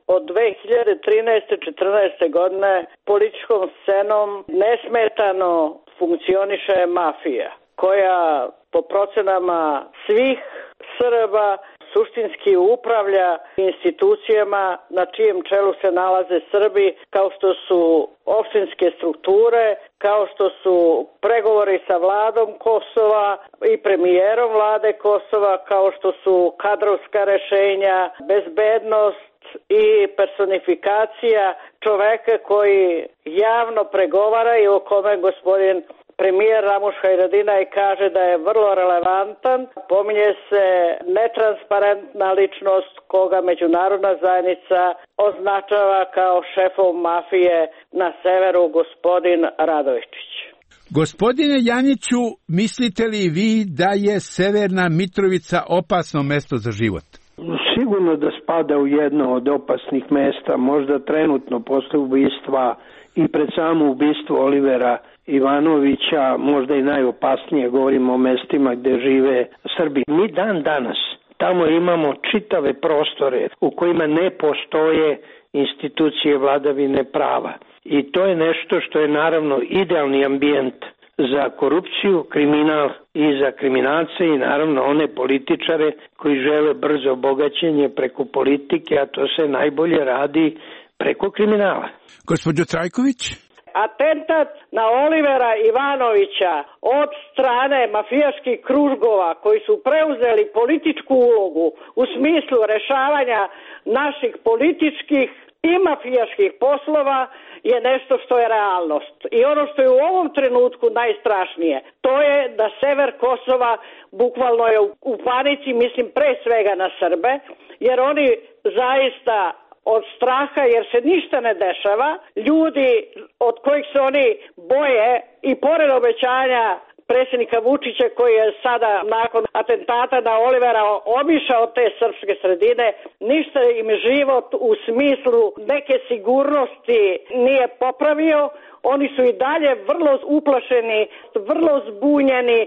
S13: od 2013-14. godine političkom scenom nesmetano funkcioniše mafija, koja po procenama svih Srba suštinski upravlja institucijama na čijem čelu se nalaze Srbi, kao što su opštinske strukture, kao što su pregovori sa vladom Kosova i premijerom vlade Kosova, kao što su kadrovska rešenja, bezbednost i personifikacija čoveka koji javno pregovara i o kome gospodin premijer Ramuš Haradinaj kaže da je vrlo relevantan. Pominje se netransparentna ličnost koga međunarodna zajednica označava kao šefom mafije na severu, gospodin Radovičić.
S12: Gospodine Janjiću, mislite li vi da je Severna Mitrovica opasno mesto za život?
S15: Sigurno da spada u jedno od opasnih mesta, možda trenutno posle ubistva i pred samo ubistvo Olivera Ivanovića, možda i najopasnije, govorimo o mestima gde žive Srbi. Mi dan danas tamo imamo čitave prostore u kojima ne postoje institucije vladavine prava. I to je nešto što je naravno idealni ambijent za korupciju, kriminal i za kriminalce i naravno one političare koji žele brzo bogaćenje preko politike, a to se najbolje radi Preko kriminala.
S12: Gospođo Trajković?
S13: Atentat na Olivera Ivanovića od strane mafijaških krugova koji su preuzeli političku ulogu u smislu rešavanja naših političkih i mafijaških poslova je nešto što je realnost. I ono što je u ovom trenutku najstrašnije, to je da sever Kosova bukvalno je u panici, mislim pre svega na Srbe, jer oni zaista od straha, jer se ništa ne dešava, ljudi od kojih se oni boje i pored obećanja predsjednika Vučića koji je sada nakon atentata na Olivera obišao te srpske sredine, ništa im život u smislu neke sigurnosti nije popravio, oni su i dalje vrlo uplašeni, vrlo zbunjeni,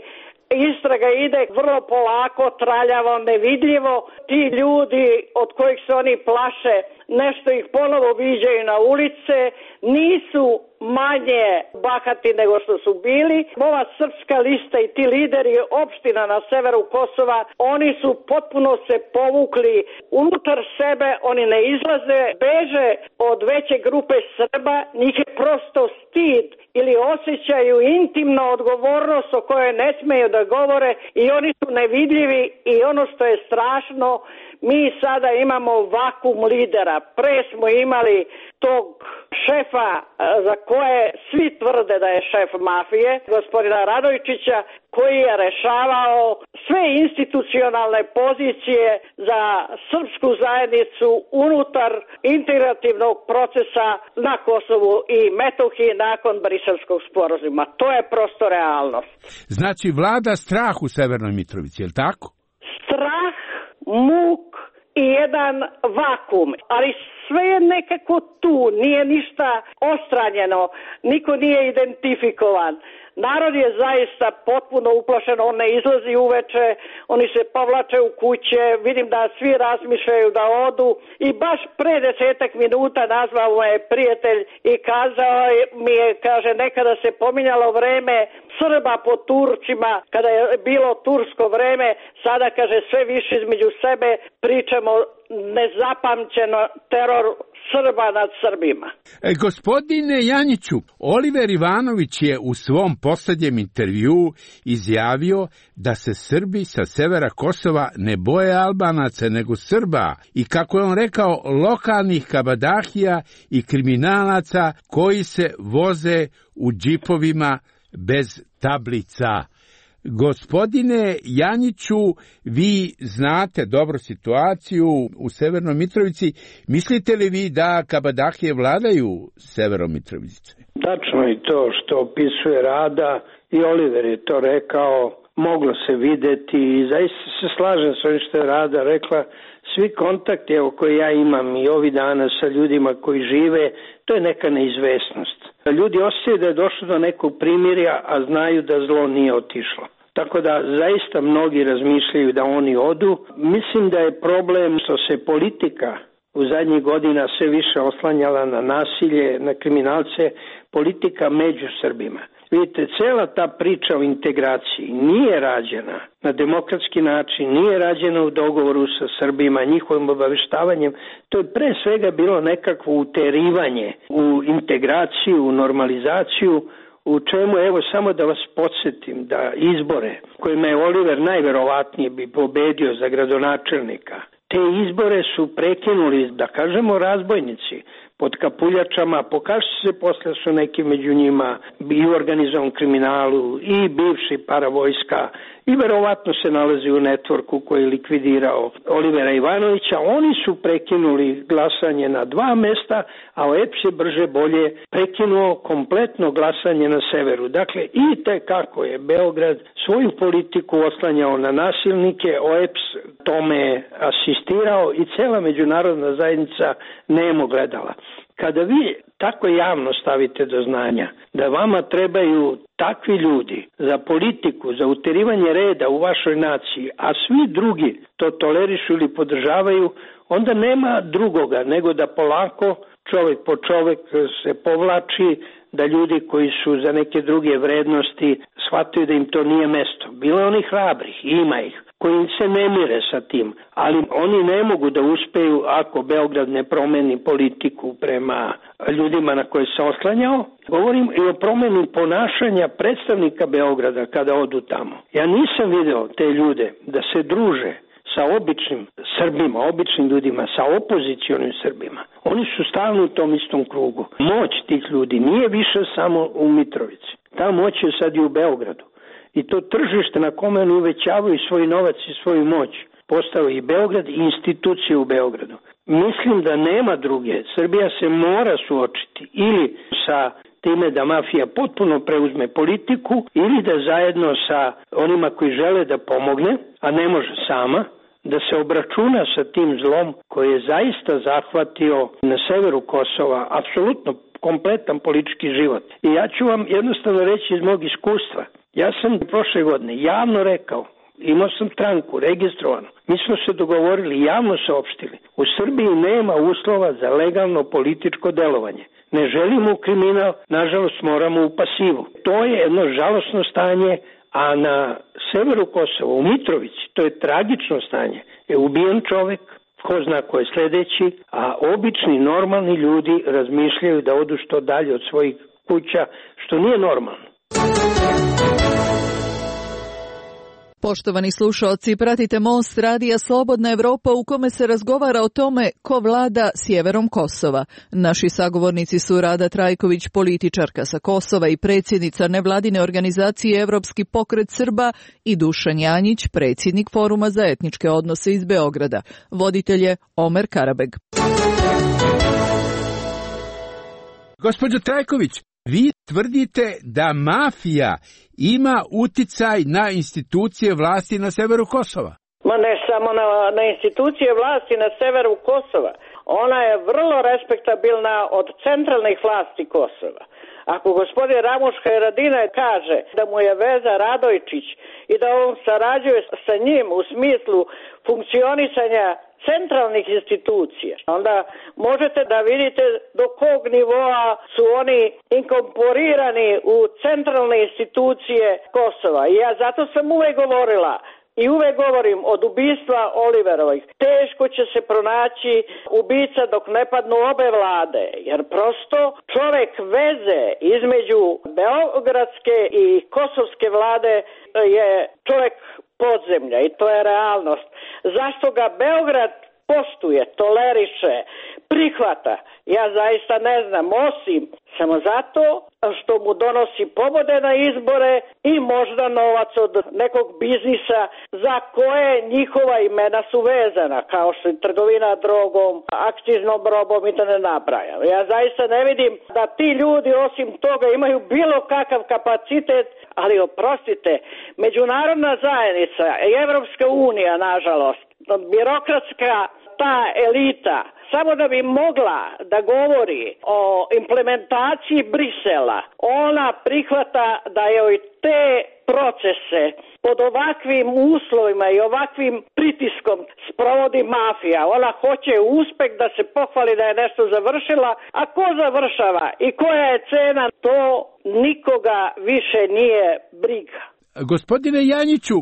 S13: istraga ide vrlo polako, traljavo, nevidljivo. Ti ljudi od kojih se oni plaše, nešto ih ponovo viđaju na ulice, nisu manje bahati nego što su bili. Ova srpska lista i ti lideri opština na severu Kosova, oni su potpuno se povukli unutar sebe, oni ne izlaze, beže od veće grupe Srba, njih je prosto stid ili osjećaju intimnu odgovornost o kojoj ne smeju da govore i oni su nevidljivi i ono što je strašno, mi sada imamo vakum lidera. Pre smo imali tog šefa za koje svi tvrde da je šef mafije, gospodina Radojčića, koji je rešavao sve institucionalne pozicije za srpsku zajednicu unutar integrativnog procesa na Kosovu i Metohiji nakon Briselskog sporazuma. To je prosto realnost.
S12: Znači vlada strah u Severnoj Mitrovici, je li tako?
S13: Strah, muk i jedan vakum, ali sve je nekako tu, nije ništa ostranjeno, niko nije identifikovan. Narod je zaista potpuno uplašen, on ne izlazi uveče, oni se povlače u kuće, vidim da svi razmišljaju da odu i baš pre 10 minuta nazvao me prijatelj i kazao mi je, kaže, nekada se pominjalo vreme Srba po Turcima, kada je bilo tursko vreme, sada, kaže, sve više između sebe pričamo nezapamćeno teror Srba nad Srbima.
S12: Gospodine Janjiću, Oliver Ivanović je u svom posljednjem intervju izjavio da se Srbi sa severa Kosova ne boje Albanaca nego Srba i, kako je on rekao, lokalnih kabadahija i kriminalaca koji se voze u džipovima bez tablica. Gospodine Janjiću, vi znate dobro situaciju u Severnoj Mitrovici. Mislite li vi da kabadahije vladaju Severom Mitrovice?
S15: Tačno je to što opisuje Rada i Oliver je to rekao, moglo se videti i zaista se slažem s ovim što je Rada rekla. Svi kontakti koje ja imam i ovi dana sa ljudima koji žive, to je neka neizvesnost. Ljudi osjećaju da je došlo do nekog primirja, a znaju da zlo nije otišlo. Tako da zaista mnogi razmišljaju da oni odu. Mislim da je problem što se politika u zadnjih godina sve više oslanjala na nasilje, na kriminalce, politika među Srbima. Vidite, cela ta priča o integraciji nije rađena na demokratski način, nije rađena u dogovoru sa Srbima, njihovim obaveštavanjem. To je pre svega bilo nekakvo uterivanje u integraciju, u normalizaciju, u čemu, evo samo da vas podsjetim, da izbore kojima je Oliver najverovatnije bi pobedio za gradonačelnika, te izbore su prekinuli, da kažemo, razbojnici pod kapuljačama, pokažu se posle su neki među njima i u organizovanom kriminalu i bivši paravojska i verovatno se nalazi u networku koji je likvidirao Olivera Ivanovića. Oni su prekinuli glasanje na 2 mesta, a OEPS je brže bolje prekinuo kompletno glasanje na severu. Dakle, i tekako je Beograd svoju politiku oslanjao na nasilnike, OEPS tome asistirao i cela međunarodna zajednica nemo gledala. Kada vi tako javno stavite do znanja da vama trebaju takvi ljudi za politiku, za uterivanje reda u vašoj naciji, a svi drugi to tolerišu ili podržavaju, onda nema drugoga nego da polako čovjek po čovjek se povlači, da ljudi koji su za neke druge vrednosti shvataju da im to nije mesto. Bilo je onih hrabrih, ima ih, koji se ne mire sa tim, ali oni ne mogu da uspeju ako Beograd ne promeni politiku prema ljudima na koje se oslanjao. Govorim i o promeni ponašanja predstavnika Beograda kada odu tamo. Ja nisam video te ljude da se druže sa običnim Srbima, običnim ljudima, sa opozicionim Srbima. Oni su stalno u tom istom krugu. Moć tih ljudi nije više samo u Mitrovici. Ta moć je sad i u Beogradu. I to tržište na kome oni uvećavaju svoj novac i svoju moć postao i Beograd i institucije u Beogradu. Mislim da nema druge. Srbija se mora suočiti ili sa time da mafija potpuno preuzme politiku ili da zajedno sa onima koji žele da pomogne, a ne može sama, da se obračuna sa tim zlom koji je zaista zahvatio na severu Kosova apsolutno kompletan politički život. I ja ću vam jednostavno reći iz mog iskustva. Ja sam prošle godine javno rekao, imao sam stranku registrovanu, mi smo se dogovorili, javno saopštili, u Srbiji nema uslova za legalno političko delovanje. Ne želimo kriminal, nažalost moramo u pasivu. To je jedno žalosno stanje, a na severu Kosova, u Mitrovici, to je tragično stanje. Je ubijen čovek, ko zna ko je sledeći, a obični, normalni ljudi razmišljaju da odu što dalje od svojih kuća, što nije normalno.
S16: Poštovani slušaoci, pratite Most radija Slobodna Evropa u kome se razgovara o tome ko vlada sjeverom Kosova. Naši sagovornici su Rada Trajković, političarka sa Kosova i predsjednica nevladine organizacije Evropski pokret Srba i Dušan Janjić, predsjednik Foruma za etničke odnose iz Beograda. Voditelj je Omer Karabeg.
S12: Gospođo Trajković, vi tvrdite da mafija ima uticaj na institucije vlasti na severu Kosova.
S13: Ma ne samo na institucije vlasti na severu Kosova. Ona je vrlo respektabilna od centralnih vlasti Kosova. Ako gospodin Ramuška Haradinaj kaže da mu je veza Radojčić i da on sarađuje sa njim u smislu funkcionisanja centralnih institucija, onda možete da vidite do kog nivoa su oni inkorporirani u centralne institucije Kosova. I ja zato sam uvek govorila i uvek govorim od ubistva Oliverovih. Teško će se pronaći ubica dok ne padnu obe vlade, jer prosto čovek veze između beogradske i kosovske vlade je čovek podzemlja i to je realnost. Zašto ga Beograd poštuje, toleriše, prihvata, ja zaista ne znam, osim samo zato što mu donosi pobode na izbore i možda novac od nekog biznisa za koje njihova imena su vezana, kao što je trgovina drogom, akciznom robom i da ne nabrajam. Ja zaista ne vidim da ti ljudi osim toga imaju bilo kakav kapacitet, ali oprostite, međunarodna zajednica i Evropska unija, nažalost, birokratska ta elita, samo da bi mogla da govori o implementaciji Brisela, ona prihvata da joj te procese pod ovakvim uslovima i ovakvim pritiskom sprovodi mafija. Ona hoće uspeh da se pohvali da je nešto završila, a ko završava i koja je cena, to nikoga više nije briga.
S12: Gospodine Janjiću,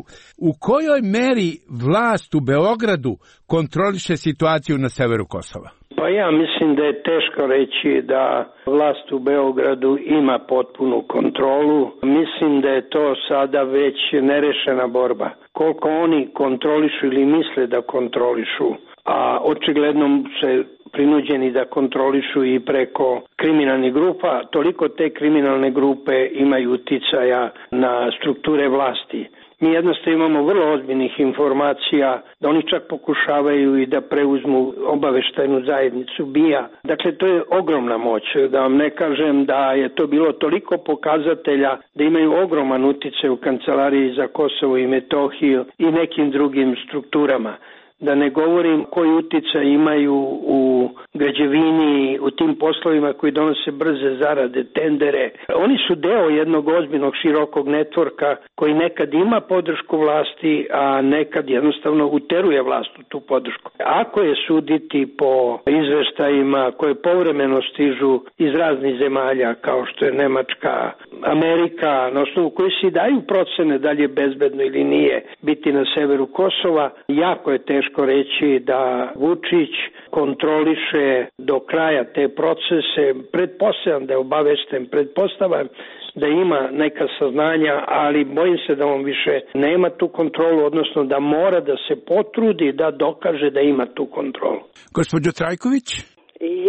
S12: u kojoj meri vlast u Beogradu kontroliše situaciju na severu Kosova?
S15: Pa ja mislim da je teško reći da vlast u Beogradu ima potpunu kontrolu. Mislim da je to sada već nerešena borba. Koliko oni kontrolišu ili misle da kontrolišu, a očigledno se prinuđeni da kontrolišu i preko kriminalnih grupa, toliko te kriminalne grupe imaju uticaja na strukture vlasti. Mi jednostavno imamo vrlo ozbiljnih informacija da oni čak pokušavaju i da preuzmu obaveštajnu zajednicu BIA. Dakle, to je ogromna moć. Da vam ne kažem da je to bilo toliko pokazatelja da imaju ogroman uticaj u Kancelariji za Kosovo i Metohiju i nekim drugim strukturama. Da ne govorim koji uticaj imaju u građevini, u tim poslovima koji donose brze zarade, tendere. Oni su deo jednog ozbiljnog širokog networka koji nekad ima podršku vlasti, a nekad jednostavno uteruje vlast u tu podršku. Ako je suditi po izveštajima koje povremeno stižu iz raznih zemalja, kao što je Nemačka, Amerika, na osnovu koji se daju procene da li je bezbedno ili nije biti na severu Kosova, jako je teško reći da Vučić kontroliše do kraja te procese. Pretpostavljam da je obavešten, pretpostavljam da ima neka saznanja, ali bojim se da on više nema tu kontrolu, odnosno da mora da se potrudi da dokaže da ima tu kontrolu.
S12: Gospođo Trajković?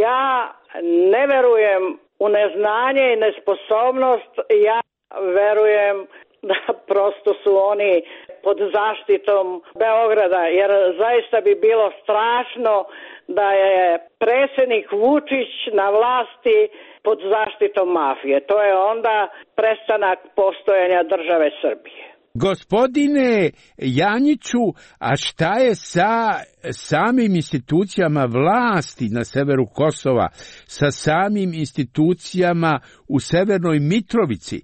S13: Ja ne verujem u neznanje i nesposobnost, ja verujem da prosto su oni pod zaštitom Beograda, jer zaista bi bilo strašno da je predsjednik Vučić na vlasti pod zaštitom mafije. To je onda prestanak postojanja države Srbije.
S12: Gospodine Janjiću, a šta je sa samim institucijama vlasti na severu Kosova, sa samim institucijama u Severnoj Mitrovici?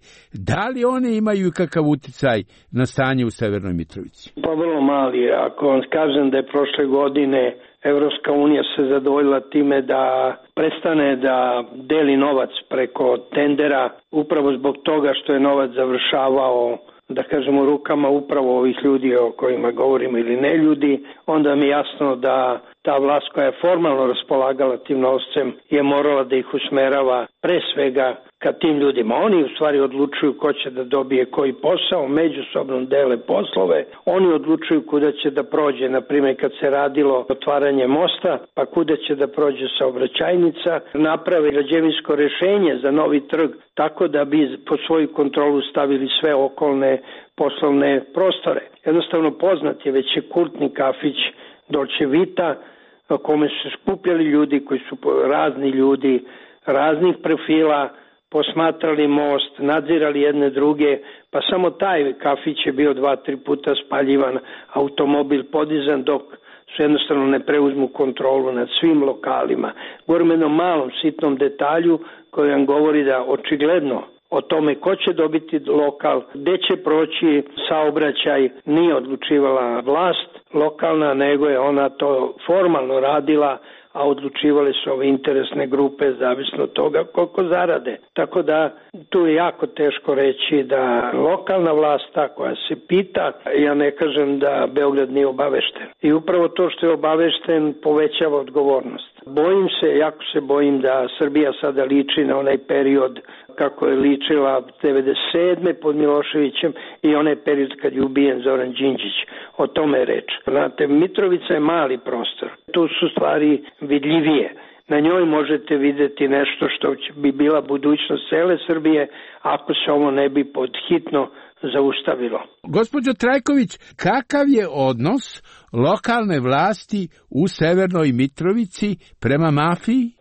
S12: Da li one imaju kakav uticaj na stanje u Severnoj Mitrovici?
S15: Pa vrlo mali. Ako vam kažem da je prošle godine Evropska unija se zadovoljila time da prestane da deli novac preko tendera, upravo zbog toga što je novac završavao, da kažemo, rukama upravo ovih ljudi o kojima govorimo ili ne ljudi, onda mi je jasno da ta vlast koja je formalno raspolagala tim novcem je morala da ih usmerava pre svega ka tim ljudima. Oni u stvari odlučuju ko će da dobije koji posao, međusobno dele poslove, oni odlučuju kuda će da prođe, na primjer kad se radilo otvaranje mosta, pa kuda će da prođe saobraćajnica, naprave građevinsko rešenje za novi trg, tako da bi po svoju kontrolu stavili sve okolne poslovne prostore. Jednostavno poznat je već je kultni kafić Dolce Vita, na kome su skupljali ljudi koji su razni ljudi, raznih profila, posmatrali most, nadzirali jedne druge, pa samo taj kafić je bio 2-3 puta spaljivan, automobil podizan dok su jednostavno ne preuzmu kontrolu nad svim lokalima. Govorim jednom malom sitnom detalju koji vam govori da očigledno o tome ko će dobiti lokal, gde će proći saobraćaj, nije odlučivala vlast lokalna, nego je ona to formalno radila, a odlučivale su ove interesne grupe zavisno od toga koliko zarade. Tako da tu je jako teško reći da lokalna vlast ta koja se pita, ja ne kažem da Beograd nije obavešten. I upravo to što je obavešten povećava odgovornost. Bojim se, jako se bojim da Srbija sada liči na onaj period kako je ličila 1997. pod Miloševićem i onaj period kad je ubijen Zoran Đinđić. O tome je reč. Znate, Mitrovica je mali prostor. Tu su stvari vidljivije. Na njoj možete videti nešto što bi bila budućnost cele Srbije ako se ovo ne bi podhitno zaustavilo.
S12: Gospođo Trajković, kakav je odnos lokalne vlasti u Severnoj Mitrovici prema mafiji?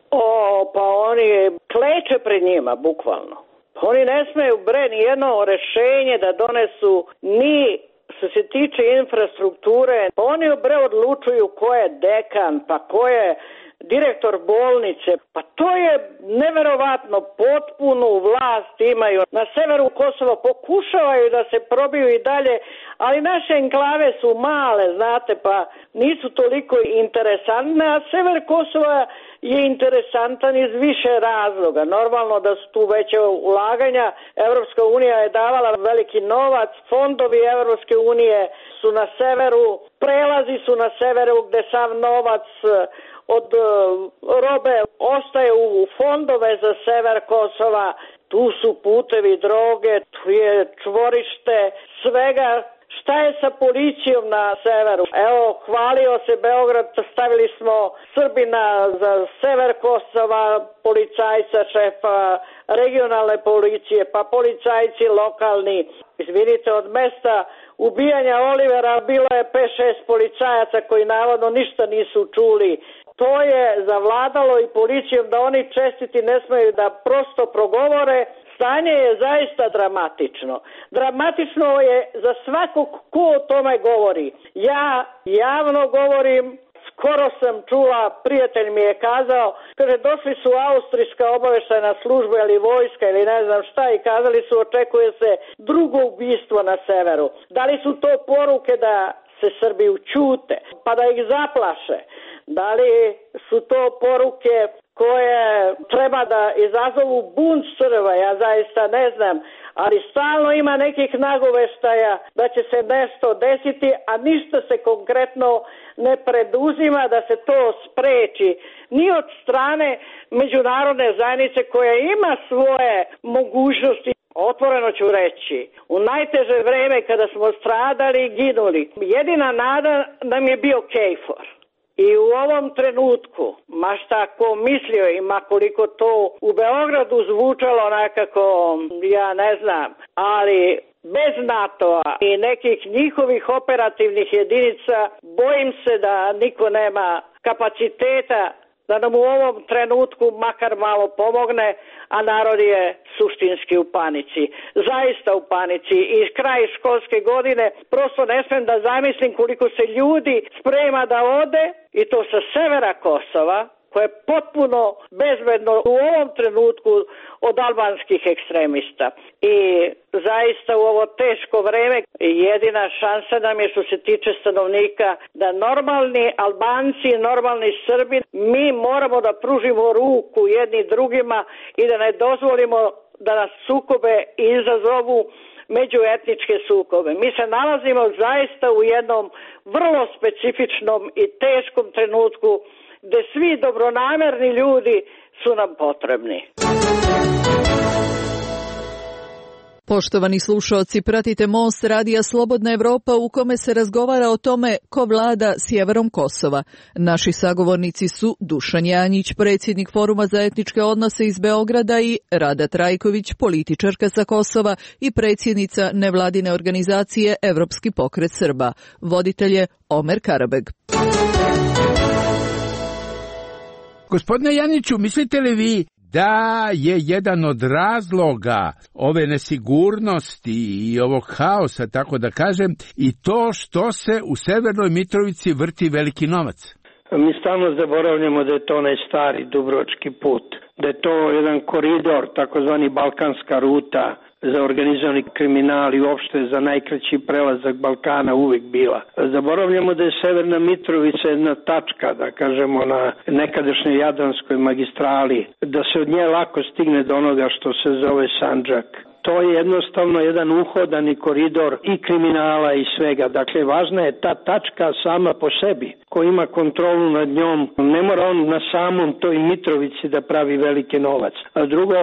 S13: Pa oni kleče pred njima, bukvalno. Oni ne smeju ni jedno rešenje da donesu ni što se tiče infrastrukture. Oni odlučuju ko je dekan, pa ko je direktor bolnice. Pa to je neverovatno, potpunu vlast imaju. Na severu Kosova pokušavaju da se probiju i dalje, ali naše enklave su male, znate, pa nisu toliko interesantne, a sever Kosova je interesantan iz više razloga. Normalno da su tu veće ulaganja, Evropska unija je davala veliki novac, fondovi Evropske unije su na severu, prelazi su na severu gde sav novac od robe ostaje u fondove za sever Kosova, tu su putevi droge, tu je čvorište svega. Šta je sa policijom na severu? Evo, hvalio se Beograd, stavili smo Srbina za sever Kosova, policajca, šefa regionalne policije, pa policajci lokalni. Izvinite, od mesta ubijanja Olivera bilo je 5-6 policajaca koji navodno ništa nisu čuli. To je zavladalo i policijom da oni čestiti ne smeju da prosto progovore. Stanje je zaista dramatično. Dramatično je za svakog ko o tome govori. Ja javno govorim, skoro sam čula, prijatelj mi je kazao, kaže, došli su austrijska obaveštajna služba ili vojska ili ne znam šta i kazali su, očekuje se drugo ubistvo na severu. Da li su to poruke da se Srbi učute, pa da ih zaplaše? Da li su to poruke koje treba da izazovu bunt Srba? Ja zaista ne znam, ali stalno ima nekih nagoveštaja da će se nešto desiti, a ništa se konkretno ne preduzima da se to spreči ni od strane međunarodne zajednice koja ima svoje mogućnosti. Otvoreno ću reći, u najteže vreme kada smo stradali i ginuli, jedina nada nam je bio KFOR. I u ovom trenutku, ma šta ko mislio i ma koliko to u Beogradu zvučalo nekako, ja ne znam, ali bez NATO-a i nekih njihovih operativnih jedinica, bojim se da niko nema kapaciteta da nam u ovom trenutku makar malo pomogne, a narod je suštinski u panici. Zaista u panici. I kraj školske godine prosto ne smem da zamislim koliko se ljudi sprema da ode, i to sa severa Kosova, koje je potpuno bezbedno u ovom trenutku od albanskih ekstremista. I zaista u ovo teško vreme jedina šansa nam je, što se tiče stanovnika, da normalni Albanci, normalni Srbi, mi moramo da pružimo ruku jedni drugima i da ne dozvolimo da nas sukobe izazovu međuetničke sukobe. Mi se nalazimo zaista u jednom vrlo specifičnom i teškom trenutku gde svi dobronamerni ljudi su nam potrebni.
S16: Poštovani slušaoci, pratite Most radija Slobodna Evropa u kome se razgovara o tome ko vlada sjeverom Kosova. Naši sagovornici su Dušan Janjić, predsjednik Foruma za etničke odnose iz Beograda, i Rada Trajković, političarka sa Kosova i predsjednica nevladine organizacije Evropski pokret Srba. Voditelj je Omer Karabeg.
S12: Gospodine Janiću, mislite li vi da je jedan od razloga ove nesigurnosti i ovog haosa, tako da kažem, i to što se u Severnoj Mitrovici vrti veliki novac?
S15: Mi stalno zaboravljamo da je to onaj stari dubrovački put, da je to jedan koridor, takozvani balkanska ruta za organizovani kriminal i uopšte za najkraći prelazak Balkana uvijek bila. Zaboravljamo da je Severna Mitrovica jedna tačka, da kažemo, na nekadašnjoj Jadranskoj magistrali, da se od nje lako stigne do onoga što se zove Sandžak. To je jednostavno jedan uhodani koridor i kriminala i svega. Dakle, važna je ta tačka sama po sebi. Ko ima kontrolu nad njom, ne mora on na samom toj Mitrovici da pravi veliki novac. A drugo,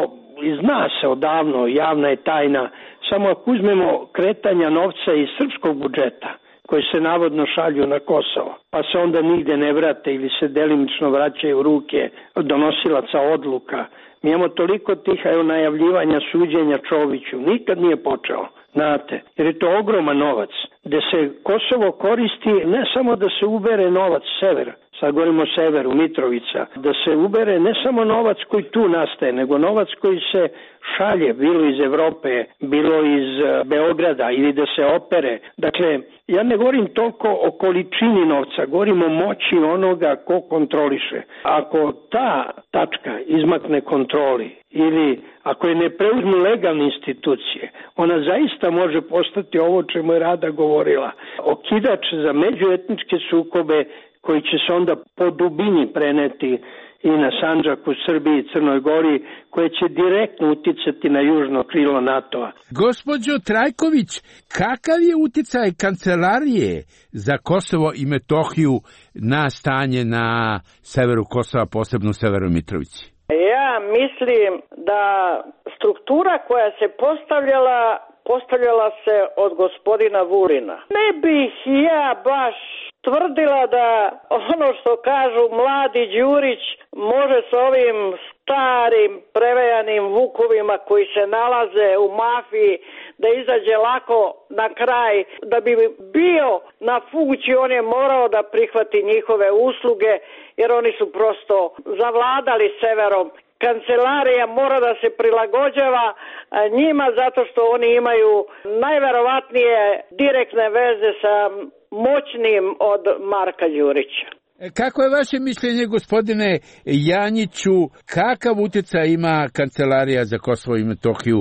S15: zna se odavno, javna je tajna, samo ako uzmemo kretanja novca iz srpskog budžeta, koji se navodno šalju na Kosovo, pa se onda nigde ne vrate ili se delimično vraćaju u ruke donosilaca odluka. Mi imamo toliko tih najavljivanja suđenja Čoviću, nikad nije počeo, znate, jer je to ogroman novac, gde se Kosovo koristi ne samo da se ubere novac severa, sad govorimo o severu, Mitrovica, da se ubere ne samo novac koji tu nastaje, nego novac koji se šalje, bilo iz Evrope, bilo iz Beograda, ili da se opere. Dakle, ja ne govorim toliko o količini novca, govorim o moći onoga ko kontroliše. Ako ta tačka izmakne kontroli ili ako je ne preuzmu legalne institucije, ona zaista može postati ovo čemu je Rada govorila. Okidač za međuetničke sukobe koji će se onda po dubini preneti i na Sandžak u Srbiji i Crnoj Gori, koje će direktno uticati na južno krilo NATO-a.
S12: Gospođo Trajković, kakav je uticaj Kancelarije za Kosovo i Metohiju na stanje na severu Kosova, posebno u Severnoj Mitrovici?
S13: Ja mislim da struktura koja se postavljala se od gospodina Vulina. Ne bih ja baš tvrdila da ono što kažu mladi Đurić može s ovim starim prevejanim vukovima koji se nalaze u mafiji da izađe lako na kraj. Da bi bio na funkciji, on je morao da prihvati njihove usluge, jer oni su prosto zavladali severom. kancelarija mora da se prilagođava njima zato što oni imaju najverovatnije direktne veze sa moćnim od Marka Đurića.
S12: Kako je vaše mišljenje, gospodine Janjiću, kakav utjecaj ima Kancelarija za Kosovo i Metohiju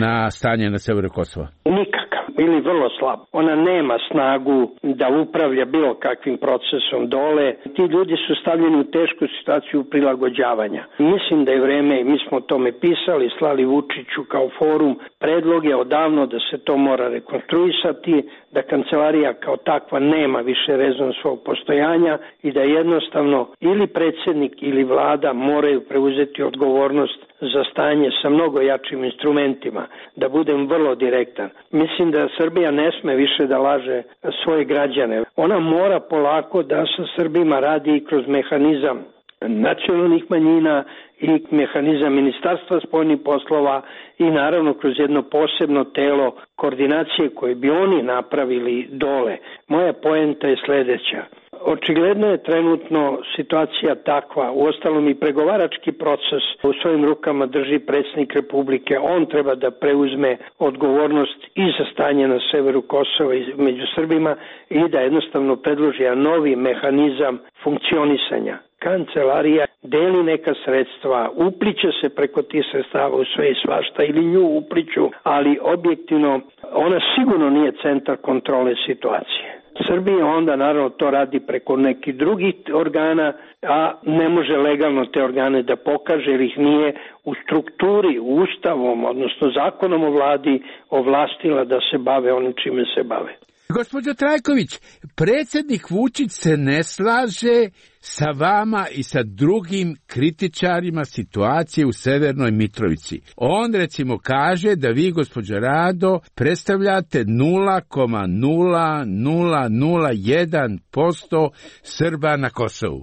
S12: na stanje na severu Kosova?
S15: Nikakav ili vrlo slab. Ona nema snagu da upravlja bilo kakvim procesom dole. Ti ljudi su stavljeni u tešku situaciju prilagođavanja. Mislim da je vreme, mi smo o tome pisali, slali Vučiću kao forum, predlog je odavno da se to mora rekonstruisati, da kancelarija kao takva nema više rezon svog postojanja i da jednostavno ili predsjednik ili vlada moraju preuzeti odgovornost za stanje sa mnogo jačim instrumentima. Da budem vrlo direktan. Mislim da Srbija ne sme više da laže svoje građane. Ona mora polako da sa Srbima radi i kroz mehanizam nacionalnih manjina i mehanizam Ministarstva spoljnih poslova i naravno kroz jedno posebno telo koordinacije koje bi oni napravili dole. Moja poenta je sljedeća. Očigledno je trenutno situacija takva, uostalom i pregovarački proces u svojim rukama drži predsjednik Republike, on treba da preuzme odgovornost i za stanje na severu Kosova i među Srbima i da jednostavno predloži novi mehanizam funkcionisanja. Kancelarija deli neka sredstva, upliče se preko tih sredstava u sve i svašta ili nju upliču, ali objektivno ona sigurno nije centar kontrole situacije. Srbija onda naravno to radi preko nekih drugih organa, a ne može legalno te organe da pokaže jer ih nije u strukturi, ustavom, odnosno zakonom o vladi ovlastila da se bave onim čime se bave.
S12: Gospođo Trajković, predsjednik Vučić se ne slaže sa vama i sa drugim kritičarima situacije u Severnoj Mitrovici. On recimo kaže da vi, gospođo Rado, predstavljate 0,0001% Srba na Kosovu.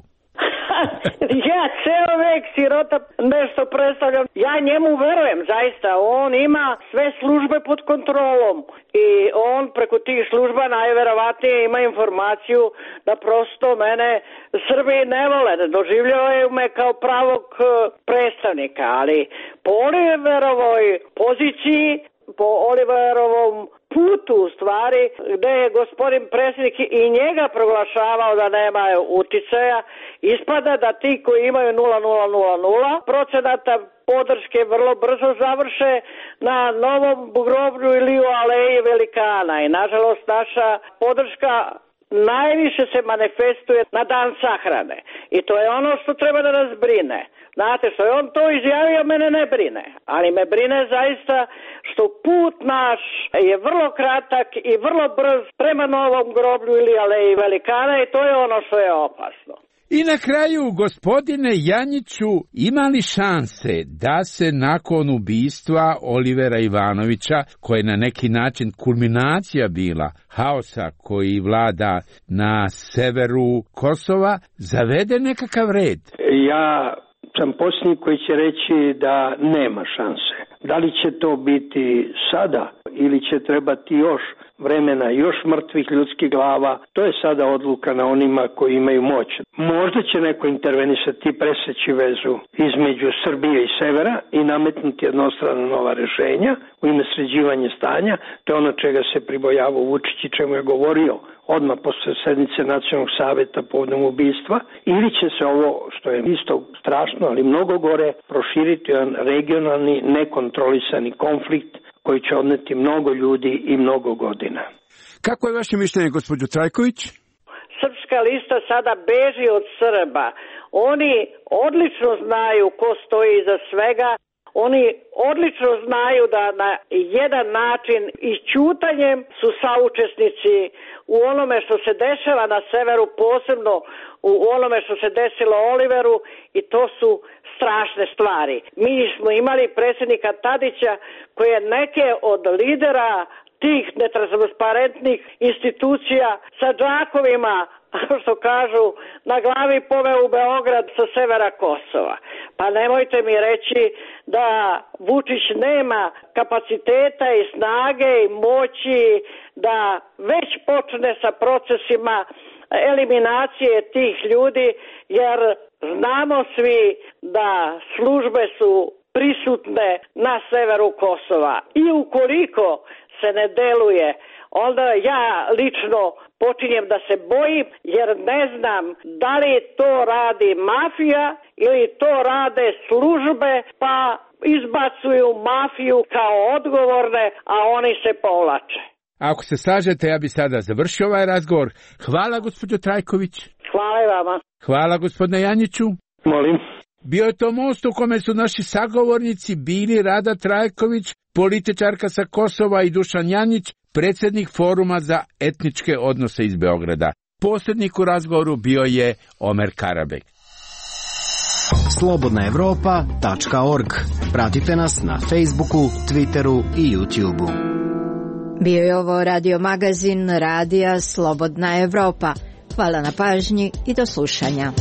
S13: Ja ceo vek sirota nešto predstavljam. Ja njemu verujem, zaista. On ima sve službe pod kontrolom i on preko tih služba najverovatnije ima informaciju da prosto mene Srbi ne vole, da doživljavaju me kao pravog predstavnika, ali po Oliverovoj poziciji, po Oliverovom putu u stvari, gde je gospodin predsjednik i njega proglašavao da nema uticaja, ispada da ti koji imaju 0,000% podrške vrlo brzo završe na novom groblju ili u aleji velikana i nažalost naša podrška najviše se manifestuje na dan sahrane i to je ono što treba da nas brine. Znate, što je on to izjavio, mene ne brine, ali me brine zaista što put naš je vrlo kratak i vrlo brz prema novom groblju ili aleji velikana i to je ono što je opasno.
S12: I na kraju, gospodine Janjiću, ima li šanse da se nakon ubistva Olivera Ivanovića, koja je na neki način kulminacija bila haosa koji vlada na severu Kosova, zavede nekakav red?
S15: Ja sam posljednji koji će reći da nema šanse. Da li će to biti sada ili će trebati još vremena, još mrtvih ljudskih glava, to je sada odluka na onima koji imaju moć. Možda će neko intervenisati, preseći vezu između Srbije i severa i nametnuti jednostrana nova rješenja u ime sređivanja stanja. To je ono čega se pribojavao Vučić i čemu je govorio odmah posle sednice Nacionalnog saveta povodom ubistva, ili će se ovo, što je isto strašno, ali mnogo gore, proširiti jedan regionalni, nekontrolisani konflikt koji će odneti mnogo ljudi i mnogo godina.
S12: Kako je vaše mišljenje, gospođo Trajković?
S13: Srpska lista sada beži od Srba. Oni odlično znaju ko stoji iza svega. Oni odlično znaju da na jedan način i ćutanjem su saučesnici u onome što se dešava na severu, posebno u onome što se desilo Oliveru i to su strašne stvari. Mi smo imali predsjednika Tadića koji je neke od lidera tih netransparentnih institucija sa džakovima, što kažu, na glavi poveo u Beograd sa severa Kosova. Pa nemojte mi reći da Vučić nema kapaciteta i snage i moći da već počne sa procesima eliminacije tih ljudi, jer Znamo svi da službe su prisutne na severu Kosova i ukoliko se ne deluje, onda ja lično počinjem da se bojim jer ne znam da li to radi mafija ili to rade službe pa izbacuju mafiju kao odgovorne, a oni se povlače.
S12: Ako se slažete, ja bi sada završio ovaj razgovor. Hvala, gospođo Trajković.
S13: Hvala i vama.
S12: Hvala, gospodine Janjiću.
S15: Molim.
S12: Bio je to most u kome su naši sagovornici bili Rada Trajković, političarka sa Kosova, i Dušan Janjić, predsjednik Foruma za etničke odnose iz Beograda. Posrednik u razgovoru bio je Omer Karabek.
S7: slobodnaevropa.org. Pratite nas na Facebooku, Twitteru i YouTubeu.
S9: Bio je ovo radio magazin Radija Slobodna Evropa. Hvala na pažnji i do slušanja.